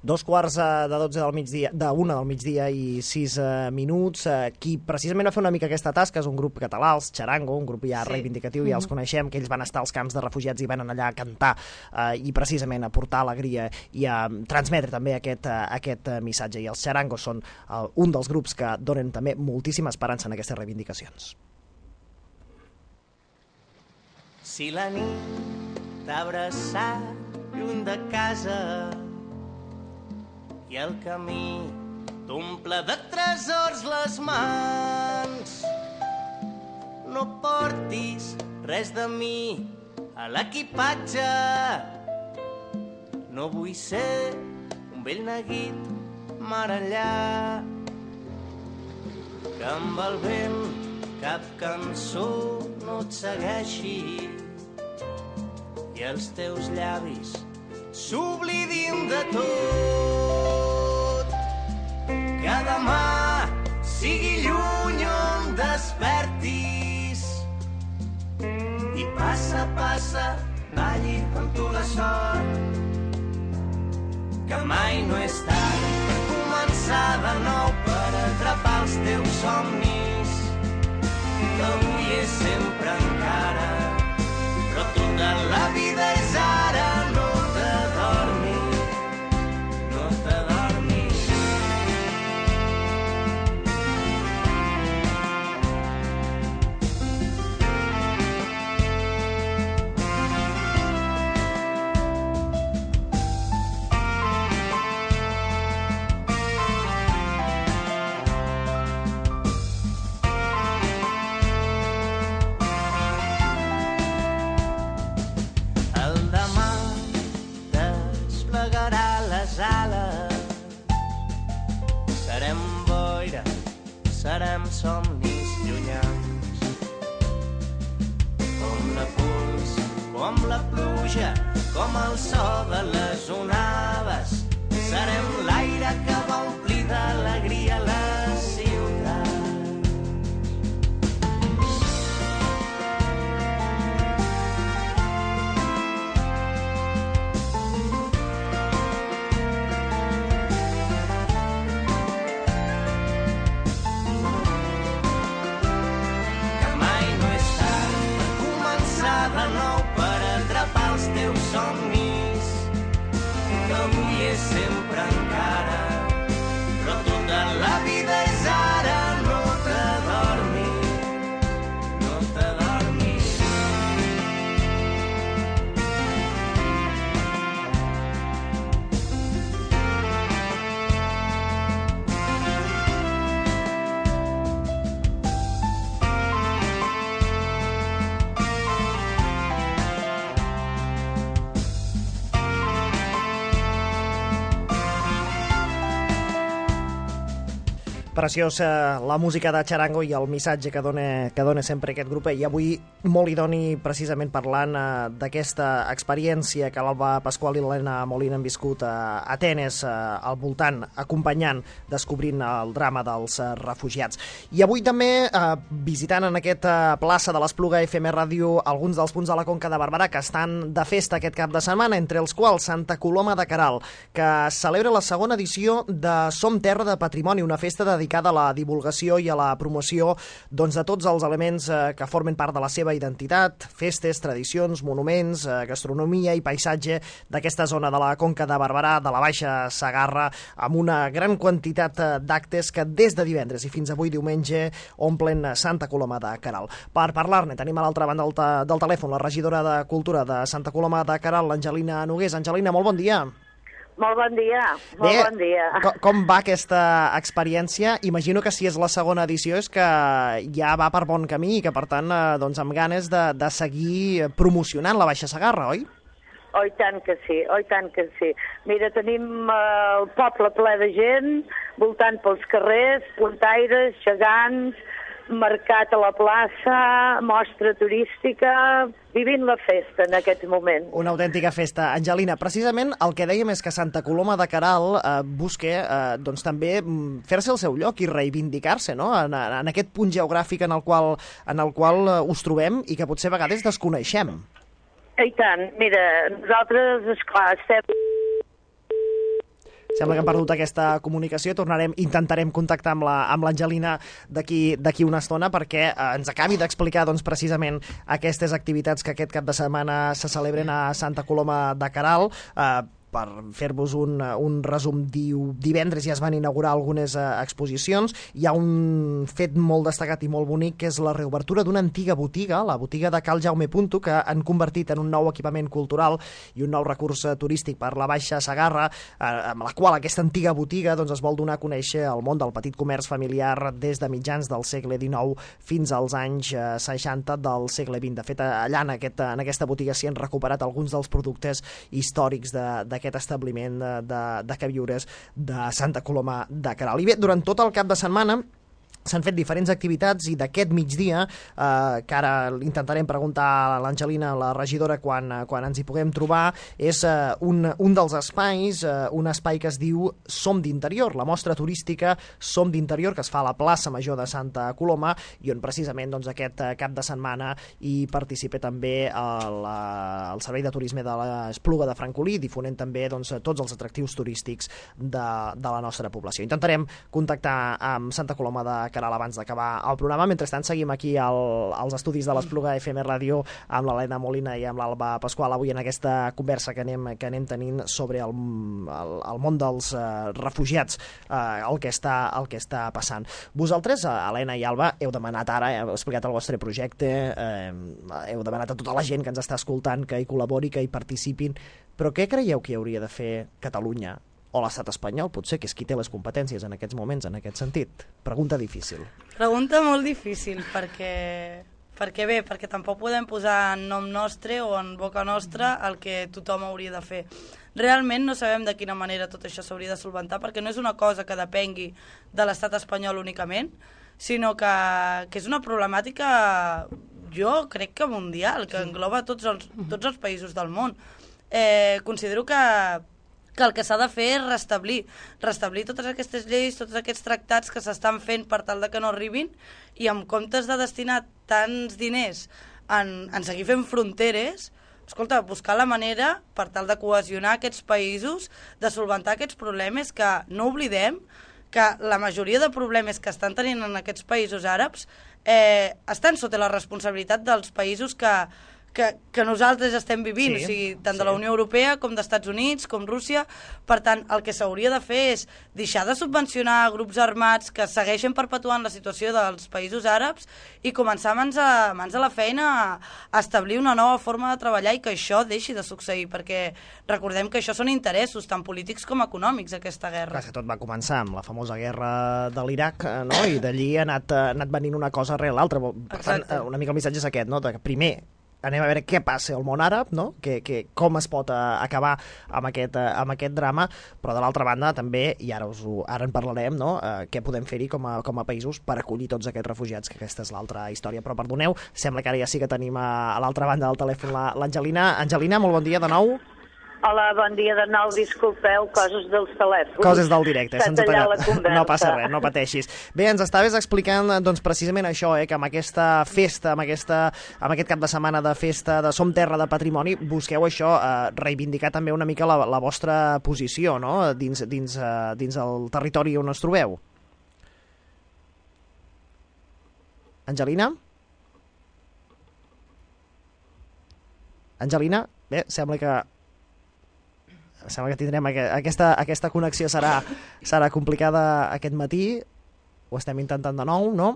Dos quarts de dotze del migdia, d'una del migdia i sis eh, minuts. Eh, qui precisament va fer una mica aquesta tasca és un grup català, els Charango, un grup ja sí. reivindicatiu, ja els coneixem, que ells van estar als camps de refugiats i van anar allà a cantar eh, i precisament a portar alegria i a transmetre també aquest, uh, aquest uh, missatge. I els Charangos són uh, un dels grups que donen també moltíssima esperança en aquestes reivindicacions.
Si la nit t'ha abraçat lluny de casa i el camí t'omple de tresors les mans, no portis res de mi a l'equipatge. No vull ser un vell neguit mar enllà, que amb el vent cap cançó no et segueixi i els teus llavis s'oblidin de tot. Que demà sigui lluny on despertis i passa, passa, balli amb tu la sort, que mai no és tard per començar de nou, per atrapar els teus somnis, que avui és sempre encara, però tota la vida és ara. No t'adormis, no t'adormis. Serem boira, serem somnis llunyans, com la pols, com la pluja, com el so de les onades. Serem l'aire que va omplir d'alegria la ciutat.
Preciós la música de Charango i el missatge que dona, que dona sempre aquest grup, i avui molt idoni precisament parlant eh, d'aquesta experiència que l'Alba Pasqual i l'Helena Molina han viscut a Atenes, eh, al voltant, acompanyant, descobrint el drama dels eh, refugiats. I avui també eh, visitant en aquesta plaça de l'Espluga F M Ràdio alguns dels punts de la Conca de Barberà que estan de festa aquest cap de setmana, entre els quals Santa Coloma de Queralt, que celebra la segona edició de Som Terra de Patrimoni, una festa dedicada a la divulgació i a la promoció doncs, de tots els elements eh, que formen part de la seva identitat, festes, tradicions, monuments, eh, gastronomia i paisatge d'aquesta zona de la Conca de Barberà, de la Baixa Segarra, amb una gran quantitat eh, d'actes que des de divendres i fins avui diumenge omplen Santa Coloma de Queralt. Per parlar-ne tenim a l'altra banda del, del telèfon la regidora de Cultura de Santa Coloma de Queralt, l'Angelina Nogués. Angelina, molt bon dia.
Molt bon dia, molt
Bé,
bon dia.
Com, com va aquesta experiència? Imagino que si és la segona edició és que ja va per bon camí i que, per tant, eh, doncs amb ganes de, de seguir promocionant la Baixa Segarra, oi?
Oi tant que sí, oi tant que sí. Mira, tenim eh, el poble ple de gent, voltant pels carrers, puntaires, gegants, mercat a la plaça, mostra turística, vivint la festa en aquest moment.
Una autèntica festa. Angelina, precisament el que dèiem és que Santa Coloma de Queralt eh, busca eh, doncs, també fer-se el seu lloc i reivindicar-se, no? en, en aquest punt geogràfic en el qual, en el qual eh, us trobem i que potser a vegades desconeixem.
I tant, mira, nosaltres, esclar, estem...
Sembla que hem perdut aquesta comunicació, tornarem, intentarem contactar amb la, amb l'Angelina d'aquí d'aquí una estona perquè eh, ens acabi d'explicar doncs, precisament aquestes activitats que aquest cap de setmana se celebren a Santa Coloma de Queralt. Eh, per fer-vos un, un resum, diu, divendres ja es van inaugurar algunes eh, exposicions. Hi ha un fet molt destacat i molt bonic, que és la reobertura d'una antiga botiga, la botiga de Cal Jaume Punto, que han convertit en un nou equipament cultural i un nou recurs eh, turístic per la Baixa Segarra, eh, amb la qual aquesta antiga botiga doncs, es vol donar a conèixer el món del petit comerç familiar des de mitjans del segle dinou fins als anys eh, seixanta del segle vint. De fet, allà en, aquest, en aquesta botiga s'hi han recuperat alguns dels productes històrics de, de aquest establiment de, de, de queviures de Santa Coloma de Queralt. I bé, durant tot el cap de setmana s'han fet diferents activitats i d'aquest migdia, eh, que ara intentarem preguntar a l'Angelina, la regidora, quan, quan ens hi puguem trobar, és eh, un, un dels espais, eh, un espai que es diu Som d'Interior, la mostra turística Som d'Interior, que es fa a la plaça Major de Santa Coloma i on precisament doncs, aquest cap de setmana hi participa també el, el Servei de Turisme de l'Espluga de Francolí, difonent també doncs, tots els atractius turístics de, de la nostra població. Intentarem contactar amb Santa Coloma de Queralt abans d'acabar el programa. Mentrestant seguim aquí al, als estudis de l'Espluga F M Ràdio amb l'Helena Molina i amb l'Alba Pasqual avui en aquesta conversa que anem, que anem tenint sobre el, el, el món dels eh, refugiats, eh, el, que està, el que està passant. Vosaltres, eh, Helena i Alba, heu demanat ara, heu explicat el vostre projecte, eh, heu demanat a tota la gent que ens està escoltant que hi col·labori, que hi participin, però què creieu que hauria de fer Catalunya o l'estat espanyol, potser, que és qui té les competències en aquests moments, en aquest sentit? Pregunta difícil.
Pregunta molt difícil, perquè, perquè bé, perquè tampoc podem posar en nom nostre o en boca nostra el que tothom hauria de fer. Realment no sabem de quina manera tot això s'hauria de solventar, perquè no és una cosa que depengui de l'estat espanyol únicament, sinó que, que és una problemàtica, jo crec que mundial, que engloba tots els, tots els països del món. Eh, considero que que el que s'ha de fer és restablir, restablir totes aquestes lleis, tots aquests tractats que s'estan fent per tal de que no arribin, i en comptes de destinar tants diners en, en seguir fent fronteres, escolta, buscar la manera per tal de cohesionar aquests països, de solventar aquests problemes, que no oblidem que la majoria de problemes que estan tenint en aquests països àrabs eh, estan sota la responsabilitat dels països que Que, que nosaltres estem vivint, sí, o sigui, tant sí. de la Unió Europea com d'Estats Units, com Rússia. Per tant, el que s'hauria de fer és deixar de subvencionar grups armats que segueixen perpetuant la situació dels països àrabs i començar mans a, mans a la feina a, a establir una nova forma de treballar i que això deixi de succeir, perquè recordem que això són interessos tant polítics com econòmics, aquesta guerra.
Clar, que tot va començar amb la famosa guerra de l'Iraq, no? I d'allí ha anat, ha anat venint una cosa rere l'altra. Per tant, una mica el missatge és aquest, no? De que primer anem a veure què passa al món àrab, no? que, que, com es pot uh, acabar amb aquest, uh, amb aquest drama, però de l'altra banda també, i ara, us ho, ara en parlarem, no? uh, què podem fer-hi com, a, com a països per acollir tots aquests refugiats, que aquesta és l'altra història. Però perdoneu, sembla que ara ja sí que tenim a, a l'altra banda del telèfon l'Angelina. Angelina, molt bon dia de nou.
Hola, bon dia de nou, disculpeu, coses dels telèfons.
Coses del directe,
se'ns ha tallat.
No passa res, no pateixis. Bé, ens estaves explicant doncs, precisament això, eh, que amb aquesta festa, amb, aquesta, amb aquest cap de setmana de festa de Som Terra de Patrimoni, busqueu això, eh, reivindicar també una mica la, la vostra posició, no?, dins, dins, eh, dins el territori on us trobeu. Angelina? Angelina? Bé, sembla que sembla que tindrem aquesta, aquesta connexió serà, serà complicada aquest matí. Ho estem intentant de nou, no?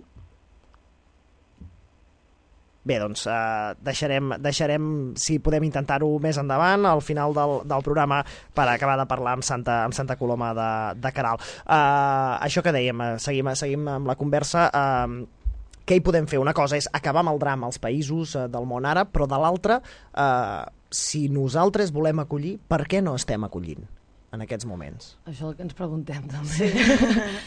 Bé, doncs eh, deixarem, deixarem, si podem intentar-ho més endavant, al final del, del programa, per acabar de parlar amb Santa, amb Santa Coloma de, de Queralt. Eh, això que dèiem, seguim, seguim amb la conversa. Eh, què hi podem fer? Una cosa és acabar amb el drama als països eh, del món àrab, però de l'altra, eh, si nosaltres volem acollir, per què no estem acollint en aquests moments?
Això és el que ens preguntem, també.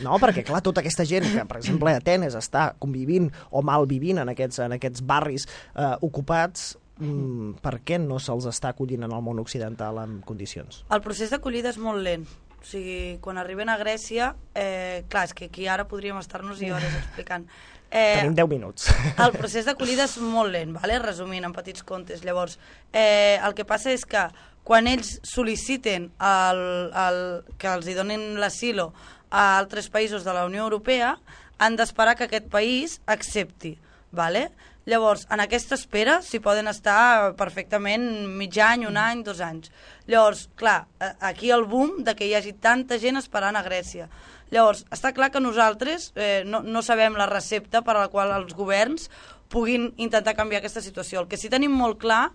No, perquè, clar, tota aquesta gent que, per exemple, a Atenes està convivint o malvivint en aquests, en aquests barris eh, ocupats, mm, per què no se'ls està acollint en el món occidental en condicions?
El procés d'acollida és molt lent. O sigui, quan arriben a Grècia, eh, clar, és que aquí ara podríem estar-nos i hores explicant.
Eh, Tenim deu minuts.
El procés d'acollida és molt lent, vale? Resumint en petits contes. Llavors, eh, el que passa és que quan ells sol·liciten el, el, que els hi donin l'asilo a altres països de la Unió Europea, han d'esperar que aquest país accepti. Vale? Llavors, en aquesta espera s'hi poden estar perfectament mig any, un any, dos anys. Llavors, clar, aquí el boom de que hi hagi tanta gent esperant a Grècia. Llavors, està clar que nosaltres eh, no, no sabem la recepta per a la qual els governs puguin intentar canviar aquesta situació. El que sí tenim molt clar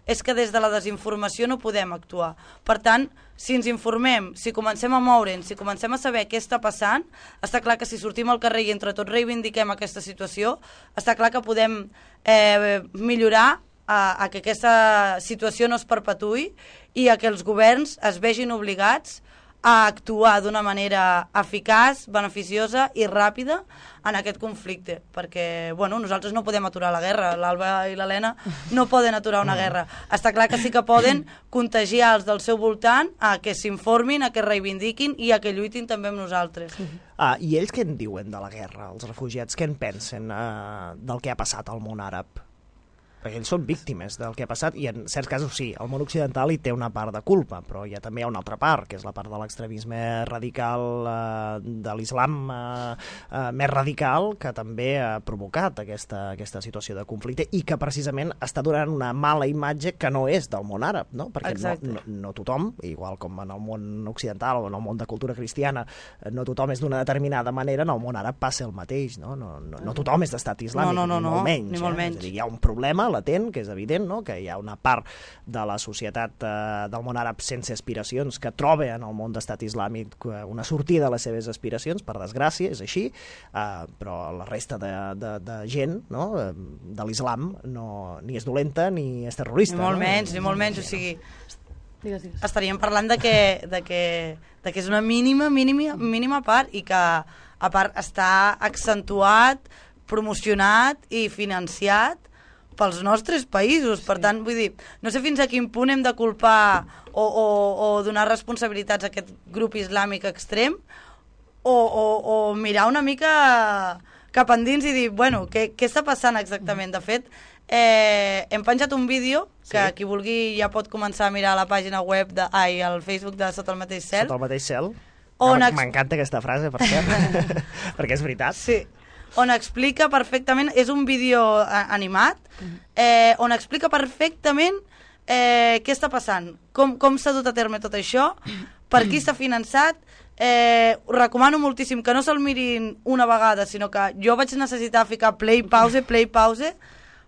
és que des de la desinformació no podem actuar. Per tant, si ens informem, si comencem a moure'ns, si comencem a saber què està passant, està clar que si sortim al carrer i entre tots reivindiquem aquesta situació, està clar que podem eh, millorar a, a que aquesta situació no es perpetuï i a que els governs es vegin obligats a actuar d'una manera eficaç, beneficiosa i ràpida en aquest conflicte, perquè bueno, nosaltres no podem aturar la guerra, l'Alba i l'Helena no poden aturar una guerra. Està clar que sí que poden contagiar els del seu voltant a que s'informin, a que reivindiquin i a que lluitin també amb nosaltres.
Ah, I ells què en diuen de la guerra, els refugiats? Què en pensen eh, del que ha passat al món àrab? Perquè ells són víctimes del que ha passat, i en certs casos sí, el món occidental hi té una part de culpa, però hi ha també una altra part, que és la part de l'extremisme radical eh, de l'islam eh, eh, més radical, que també ha provocat aquesta, aquesta situació de conflicte i que precisament està donant una mala imatge que no és del món àrab, no? Perquè no, no, no tothom, igual com en el món occidental o en el món de cultura cristiana, no tothom és d'una determinada manera, en el món àrab passa el mateix, no? No, no, no tothom és d'estat islàmic,
no, no, no,
ni molt menys.
Ni molt
eh?
menys.
És a dir, hi ha un problema latent, que és evident, no? Que hi ha una part de la societat eh, del món àrab sense aspiracions que troba en el món d'estat islàmic una sortida a les seves aspiracions, per desgràcia, és així, eh, però la resta de, de, de gent, no? De l'islam no, ni és dolenta ni és terrorista.
Ni molt
no?
menys, ni molt menys, o sigui...
Digues, digues.
Estaríem parlant de que, de que, de que és una mínima, mínima, mínima part i que, a part, està accentuat, promocionat i financiat pels nostres països. Per tant, vull dir, no sé fins a quin punt hem de culpar o, o, o donar responsabilitats a aquest grup islàmic extrem o, o, o mirar una mica cap endins i dir, bueno, què, què està passant exactament? De fet, eh, hem penjat un vídeo que sí. Qui vulgui ja pot començar a mirar a la pàgina web, de, ai, al Facebook de Sota el mateix cel.
Sota el mateix cel.
M'encanta
aquesta frase, per cert, perquè és veritat.
Sí. On explica perfectament, és un vídeo animat, eh, on explica perfectament eh, què està passant, com, com s'ha dut a terme tot això, per qui s'ha finançat. Eh, recomano moltíssim que no se'l mirin una vegada, sinó que jo vaig necessitar ficar play, pause, play, pause,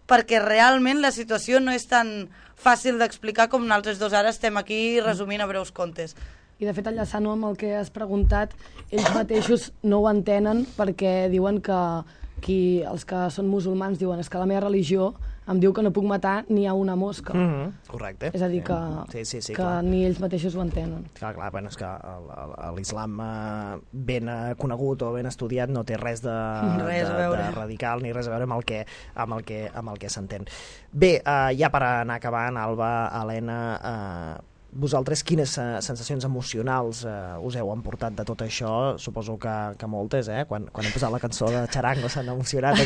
perquè realment la situació no és tan fàcil d'explicar com nosaltres dos ara estem aquí resumint a breus contes.
I de fet, enllaçant-ho amb el que has preguntat, ells mateixos no ho entenen perquè diuen que qui, els que són musulmans diuen és que la meva religió em diu que no puc matar ni a una mosca.
Mm -hmm. Correcte.
És a dir, que,
sí, sí, sí,
que
clar.
ni ells mateixos ho entenen.
Clar, clar, bueno, és que l'islam eh, ben eh, conegut o ben estudiat no té res de,
res
de, de radical ni res a veure amb el que, amb el que, amb el que s'entén. Bé, eh, ja per anar acabant, Alba, Helena, eh, vosaltres quines sensacions emocionals eh, us heu emportat de tot això? Suposo que, que moltes, eh? Quan, quan hem posat la cançó de Charango s'han emocionat.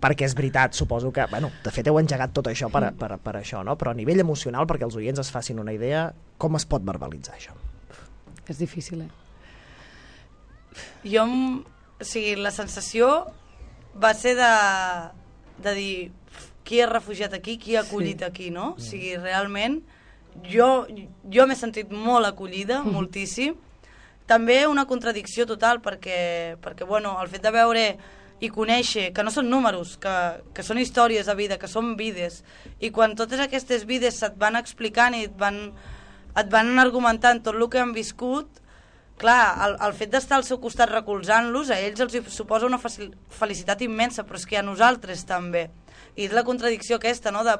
Perquè és veritat, suposo que... Bueno, de fet, heu engegat tot això per, per, per això, no? Però a nivell emocional, perquè els oients es facin una idea, com es pot verbalitzar això?
És difícil, eh?
Jo, o sigui, la sensació va ser de, de dir qui ha refugiat aquí, qui ha acollit sí. aquí, no? O sigui, realment... Jo, jo m'he sentit molt acollida, mm. moltíssim. També una contradicció total, perquè, perquè bueno, el fet de veure i conèixer que no són números, que, que són històries de vida, que són vides, i quan totes aquestes vides se't van explicant i et van, et van argumentant tot el que han viscut, clar, el, el fet d'estar al seu costat recolzant-los, a ells els suposa una felicitat immensa, però és que a nosaltres també. I és la contradicció aquesta, no?, de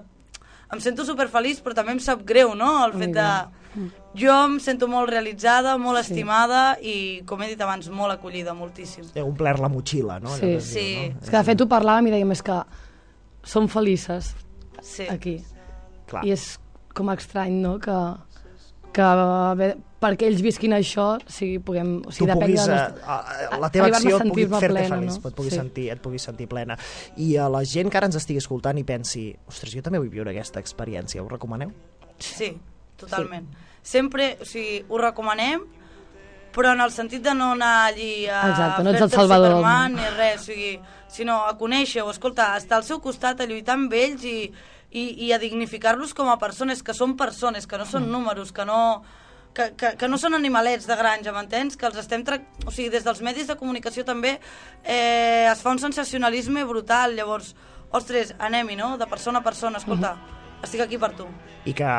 em sento superfeliç, però també em sap greu, no?, el fet de... Jo em sento molt realitzada, molt sí. estimada i, com he dit abans, molt acollida, moltíssim.
Heu omplert la motxilla, no?
Sí,
sí.
Diu, no? És que de fet ho parlàvem i dèiem, és que som felices
sí.
aquí.
Clar.
I és com estrany, no?, que, que bé, perquè ells visquin això, o sigui, puguem... O sigui,
tu puguis,
de
nostre... la teva acció et pugui fer-te
plena,
feliç,
no?
et, pugui
sí.
sentir, et pugui sentir plena. I a la gent que ara ens estigui escoltant i pensi, ostres, jo també vull viure aquesta experiència, ho recomaneu?
Sí, totalment. Sí. Sempre, o sigui, ho recomanem, però en el sentit de no anar allí a
Exacte, no ets
fer-te
el Salvador
Superman ni res, o sigui, sinó a conèixer-ho, escolta, estar al seu costat, a lluitar amb ells i, i, i a dignificar-los com a persones, que són persones, que no són números, que no... Que, que, que no són animalets de granja, m'entens? Que els estem... Tra... O sigui, des dels medis de comunicació també eh, es fa un sensacionalisme brutal, llavors, ostres, anem-hi, no? De persona a persona, escolta, uh-huh. estic aquí per tu.
I que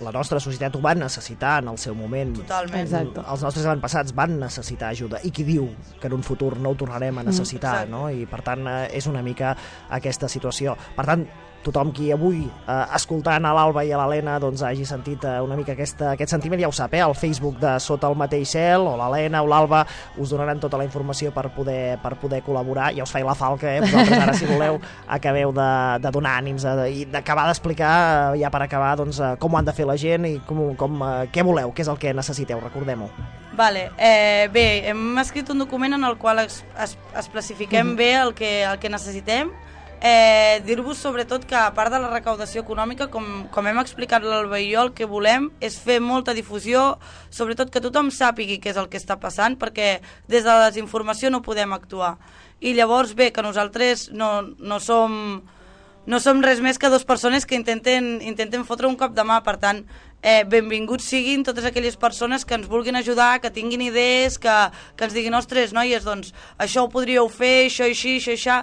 la nostra societat ho va necessitar en el seu moment.
Totalment.
Exacte.
Els nostres avantpassats van necessitar ajuda. I qui diu que en un futur no ho tornarem a necessitar, mm, no? I per tant és una mica aquesta situació. Per tant, tothom qui avui, eh, escoltant a l'Alba i a l'Helena, doncs hagi sentit eh, una mica aquesta, aquest sentiment, ja ho sap, eh? Al Facebook de Sota el mateix cel, o l'Helena o l'Alba us donaran tota la informació per poder, per poder col·laborar. Ja us faig la falca, eh? Vosaltres ara, si voleu, acabeu de, de donar ànims de, i d'acabar d'explicar, eh, ja per acabar, doncs, eh, com ho han de fer la gent i com, com, eh, què voleu, què és el que necessiteu, recordem-ho.
Vale, eh, bé, hem escrit un document en el qual es, es, especifiquem mm-hmm. bé el que, el que necessitem. Eh, dir-vos sobretot que a part de la recaudació econòmica, com, com hem explicat l'Alba i jo, el que volem és fer molta difusió, sobretot que tothom sàpigui què és el que està passant, perquè des de la desinformació no podem actuar. I llavors, bé, que nosaltres no, no som... no som res més que dues persones que intenten, intenten fotre un cop de mà, per tant, eh, benvinguts siguin totes aquelles persones que ens vulguin ajudar, que tinguin idees, que, que ens diguin, ostres, noies, doncs això ho podríeu fer, això així, això això,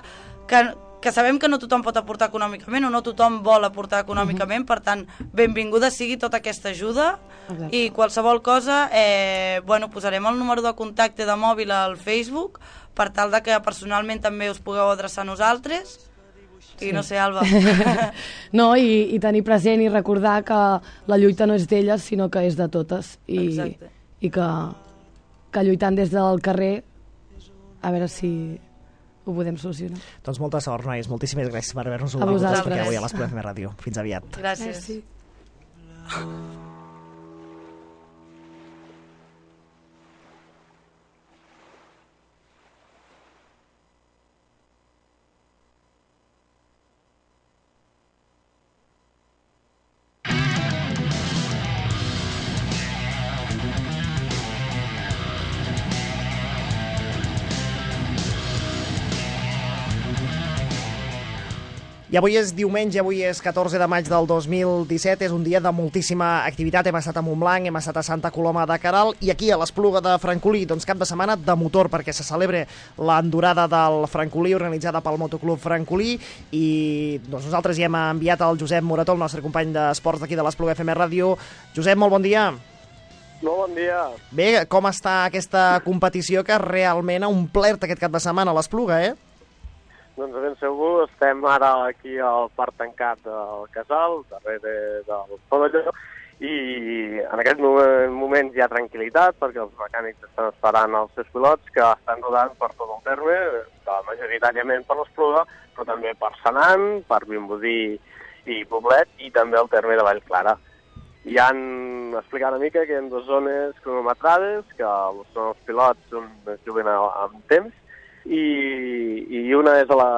que, que sabem que no tothom pot aportar econòmicament o no tothom vol aportar econòmicament, uh-huh. per tant, benvinguda sigui tota aquesta ajuda. Exacte. I qualsevol cosa, eh, bueno, posarem el número de contacte de mòbil al Facebook per tal de que personalment també us pugueu adreçar a nosaltres. I sí. No sé, Alba.
No, i, i tenir present i recordar que la lluita no és d'elles, sinó que és de totes. I,
Exacte.
I que, que lluitant des del carrer, a veure si ho podem solucionar.
Doncs molta sort, nois. Moltíssimes gràcies per haver-nos-ho
explicat
avui a l'Espluga F M Ràdio. Fins aviat.
Gràcies.
Merci.
I avui és diumenge, avui és catorze de maig del dos mil disset, és un dia de moltíssima activitat. Hem estat a Montblanc, hem estat a Santa Coloma de Queralt i aquí a l'Espluga de Francolí, doncs cap de setmana de motor, perquè se celebra l'endurada del Francolí organitzada pel Motoclub Francolí i doncs nosaltres hi hem enviat el Josep Morató, el nostre company d'esports d'aquí de l'Espluga F M Ràdio. Josep, molt bon dia.
Molt bon dia.
Bé, com està aquesta competició que realment ha omplert aquest cap de setmana a l'Espluga, eh?
Doncs ben segur, estem ara aquí al parc tancat del Casal, darrere del pavelló, i en aquest moment, moment hi ha tranquil·litat perquè els mecànics estan esperant els seus pilots que estan rodant per tot el terme, majoritàriament per l'Espluga, però també per Senan, per Vimbodí i Poblet, i també el terme de Vallclara. Hi han explicat una mica que hi ha dues zones cronometrades, que són els pilots on es juguen amb temps, i, i una és a la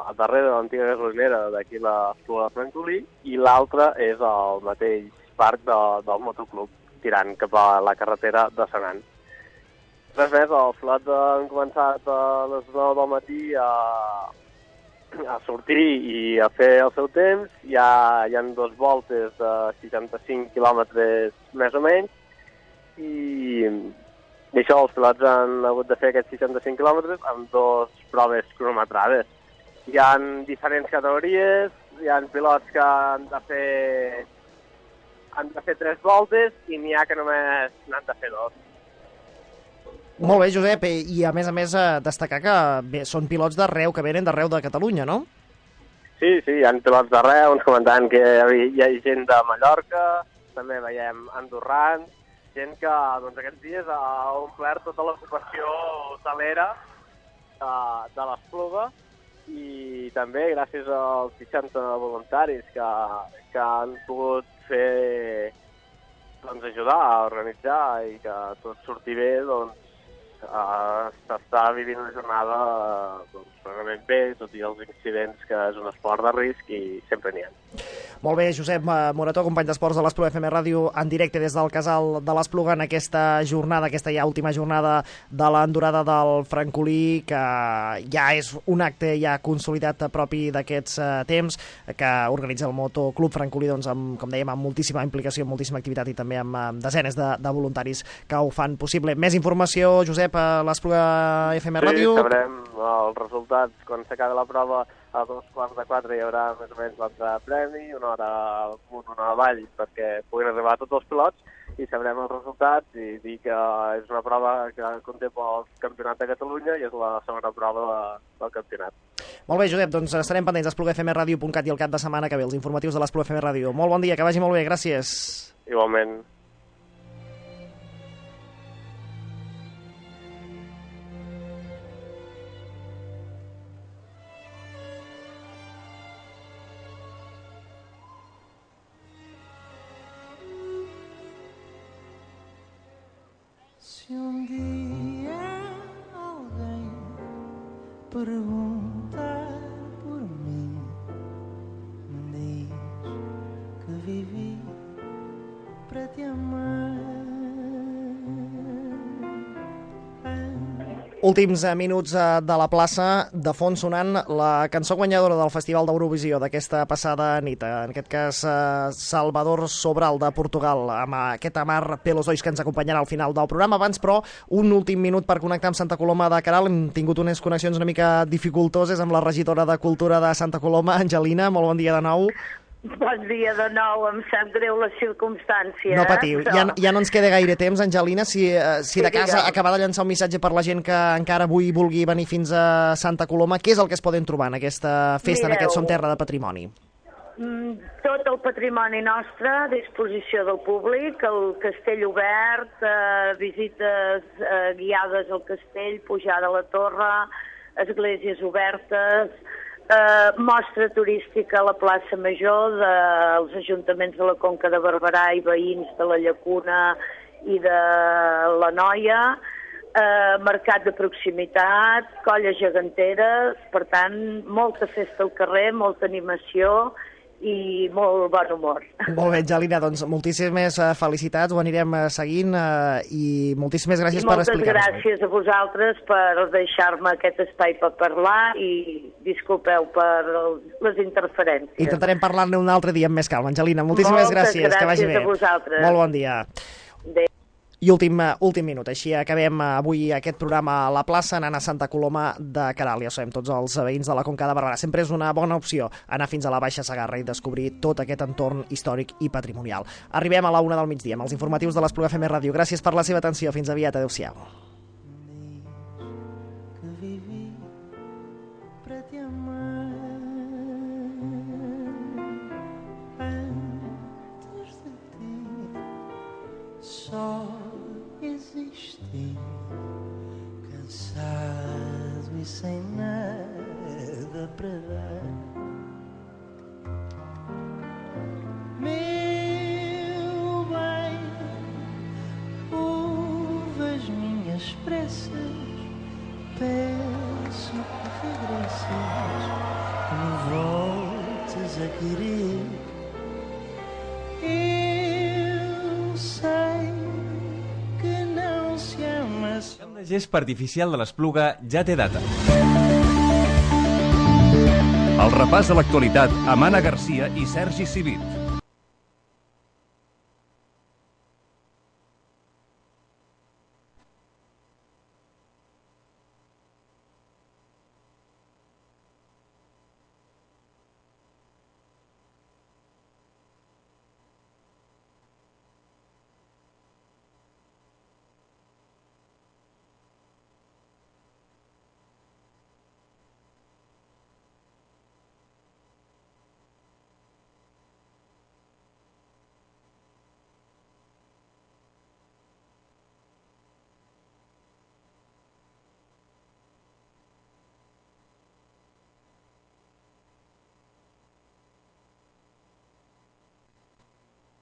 a darrere de l'antiga gasolinera d'aquí l'Espluga de Francolí, i l'altra és al mateix parc de, del motoclub, tirant cap a la carretera de Senan. Res més, els pilots han començat a les nou del matí a, a sortir i a fer el seu temps. Hi ha, hi ha dos voltes de seixanta-cinc quilòmetres més o menys, i, i això, els pilots han hagut de fer aquests seixanta-cinc quilòmetres amb dos proves cronometrades. Hi ha diferents categories, hi ha pilots que han de fer han de fer tres voltes i n'hi ha que només n'han de fer dos.
Molt bé, Josep, i a més a més destacar que bé, són pilots d'arreu, que venen d'arreu de Catalunya, no?
Sí, sí, hi ha pilots d'arreu, ens comentaven que hi ha gent de Mallorca, també veiem andorrans, gent que doncs, aquests dies ha omplert tota l'ocupació hotelera de, de l'Espluga, i també gràcies als seixanta voluntaris que, que han pogut fer, doncs, ajudar a organitzar i que tot surti bé, doncs, s'està vivint una jornada doncs, realment bé, tot i els incidents, que és un esport de risc i sempre n'hi ha.
Molt bé, Josep Morató, company d'esports de l'Espluga F M Ràdio, en directe des del Casal de l'Espluga en aquesta jornada, aquesta ja última jornada de l'endurada del Francolí, que ja és un acte ja consolidat propi d'aquests uh, temps, que organitza el Motoclub Francolí, doncs, amb, com dèiem, amb moltíssima implicació, amb moltíssima activitat i també amb, amb desenes de, de voluntaris que ho fan possible. Més informació, Josep, a l'Espluga F M Ràdio?
Sí, sabrem els resultats quan s'acabi la prova. A dos quarts de quatre hi haurà més o menys l'altre premi, una hora amunt, una hora avall, perquè puguin arribar tots els pilots i sabrem els resultats i dir que és una prova que conté pel Campionat de Catalunya i és la segona prova de, del campionat.
Molt bé, Josep, doncs estarem pendents d'espluga f m radio punt cat i el cap de setmana que ve, els informatius de l'Espluga F M Ràdio. Molt bon dia, que vagi molt bé, gràcies.
Igualment.
Se um dia alguém perguntar por mim, diz que vivi para te amar.
Últims minuts de la plaça, de fons sonant la cançó guanyadora del Festival d'Eurovisió d'aquesta passada nit, en aquest cas Salvador Sobral de Portugal, amb aquest Amar Pelos Dois que ens acompanyarà al final del programa. Abans, però, un últim minut per connectar amb Santa Coloma de Queralt. Hem tingut unes connexions una mica dificultoses amb la regidora de Cultura de Santa Coloma, Angelina. Molt bon dia de nou.
Bon dia de nou, em sap greu la circumstància.
No patiu,
però...
ja, ja no ens queda gaire temps, Angelina, si, uh, si
sí,
de casa
digue'm.
acabar de llançar un missatge per la gent que encara avui vulgui venir fins a Santa Coloma, què és el que es poden trobar en aquesta festa,
Mireu,
en aquest Som Terra de Patrimoni?
Tot el patrimoni nostre a disposició del públic, el castell obert, eh, visites eh, guiades al castell, pujada a la torre, esglésies obertes, Eh, mostra turística a la plaça Major dels ajuntaments de la Conca de Barberà i veïns de la Llacuna i de la Noia, eh, mercat de proximitat, colles geganteres, per tant, molta festa al carrer, molta animació i molt bon humor.
Molt bé, Angelina, doncs moltíssimes felicitats, ho anirem seguint eh, i moltíssimes gràcies
I
per
moltes
explicar-nos.
gràcies a vosaltres per deixar-me aquest espai per parlar i disculpeu per les interferències.
Intentarem parlar-ne un altre dia amb més calma. Angelina, moltíssimes
Moltes
gràcies,
gràcies
que vagi bé.
a vosaltres.
Molt bon dia.
Adéu.
I últim, últim minut, així acabem avui aquest programa a la plaça anant a Santa Coloma de Queralt. Ja sabem, tots els veïns de la Conca de Barberà. Sempre és una bona opció anar fins a la Baixa Segarra i descobrir tot aquest entorn històric i patrimonial. Arribem a la una del migdia amb els informatius de l'Espluga F M Ràdio. Gràcies per la seva atenció. Fins aviat. Adéu-siau.
Que vivi para te amar. sem nada para dar. Meu bem, ouve as minhas preces, peço que regresses, que me voltes a querer. Eu sei que não se ama.
El camp de gespa artificial de l'Espluga ja té data.
El repàs de l'actualitat amb Anna Garcia i Sergi Civit.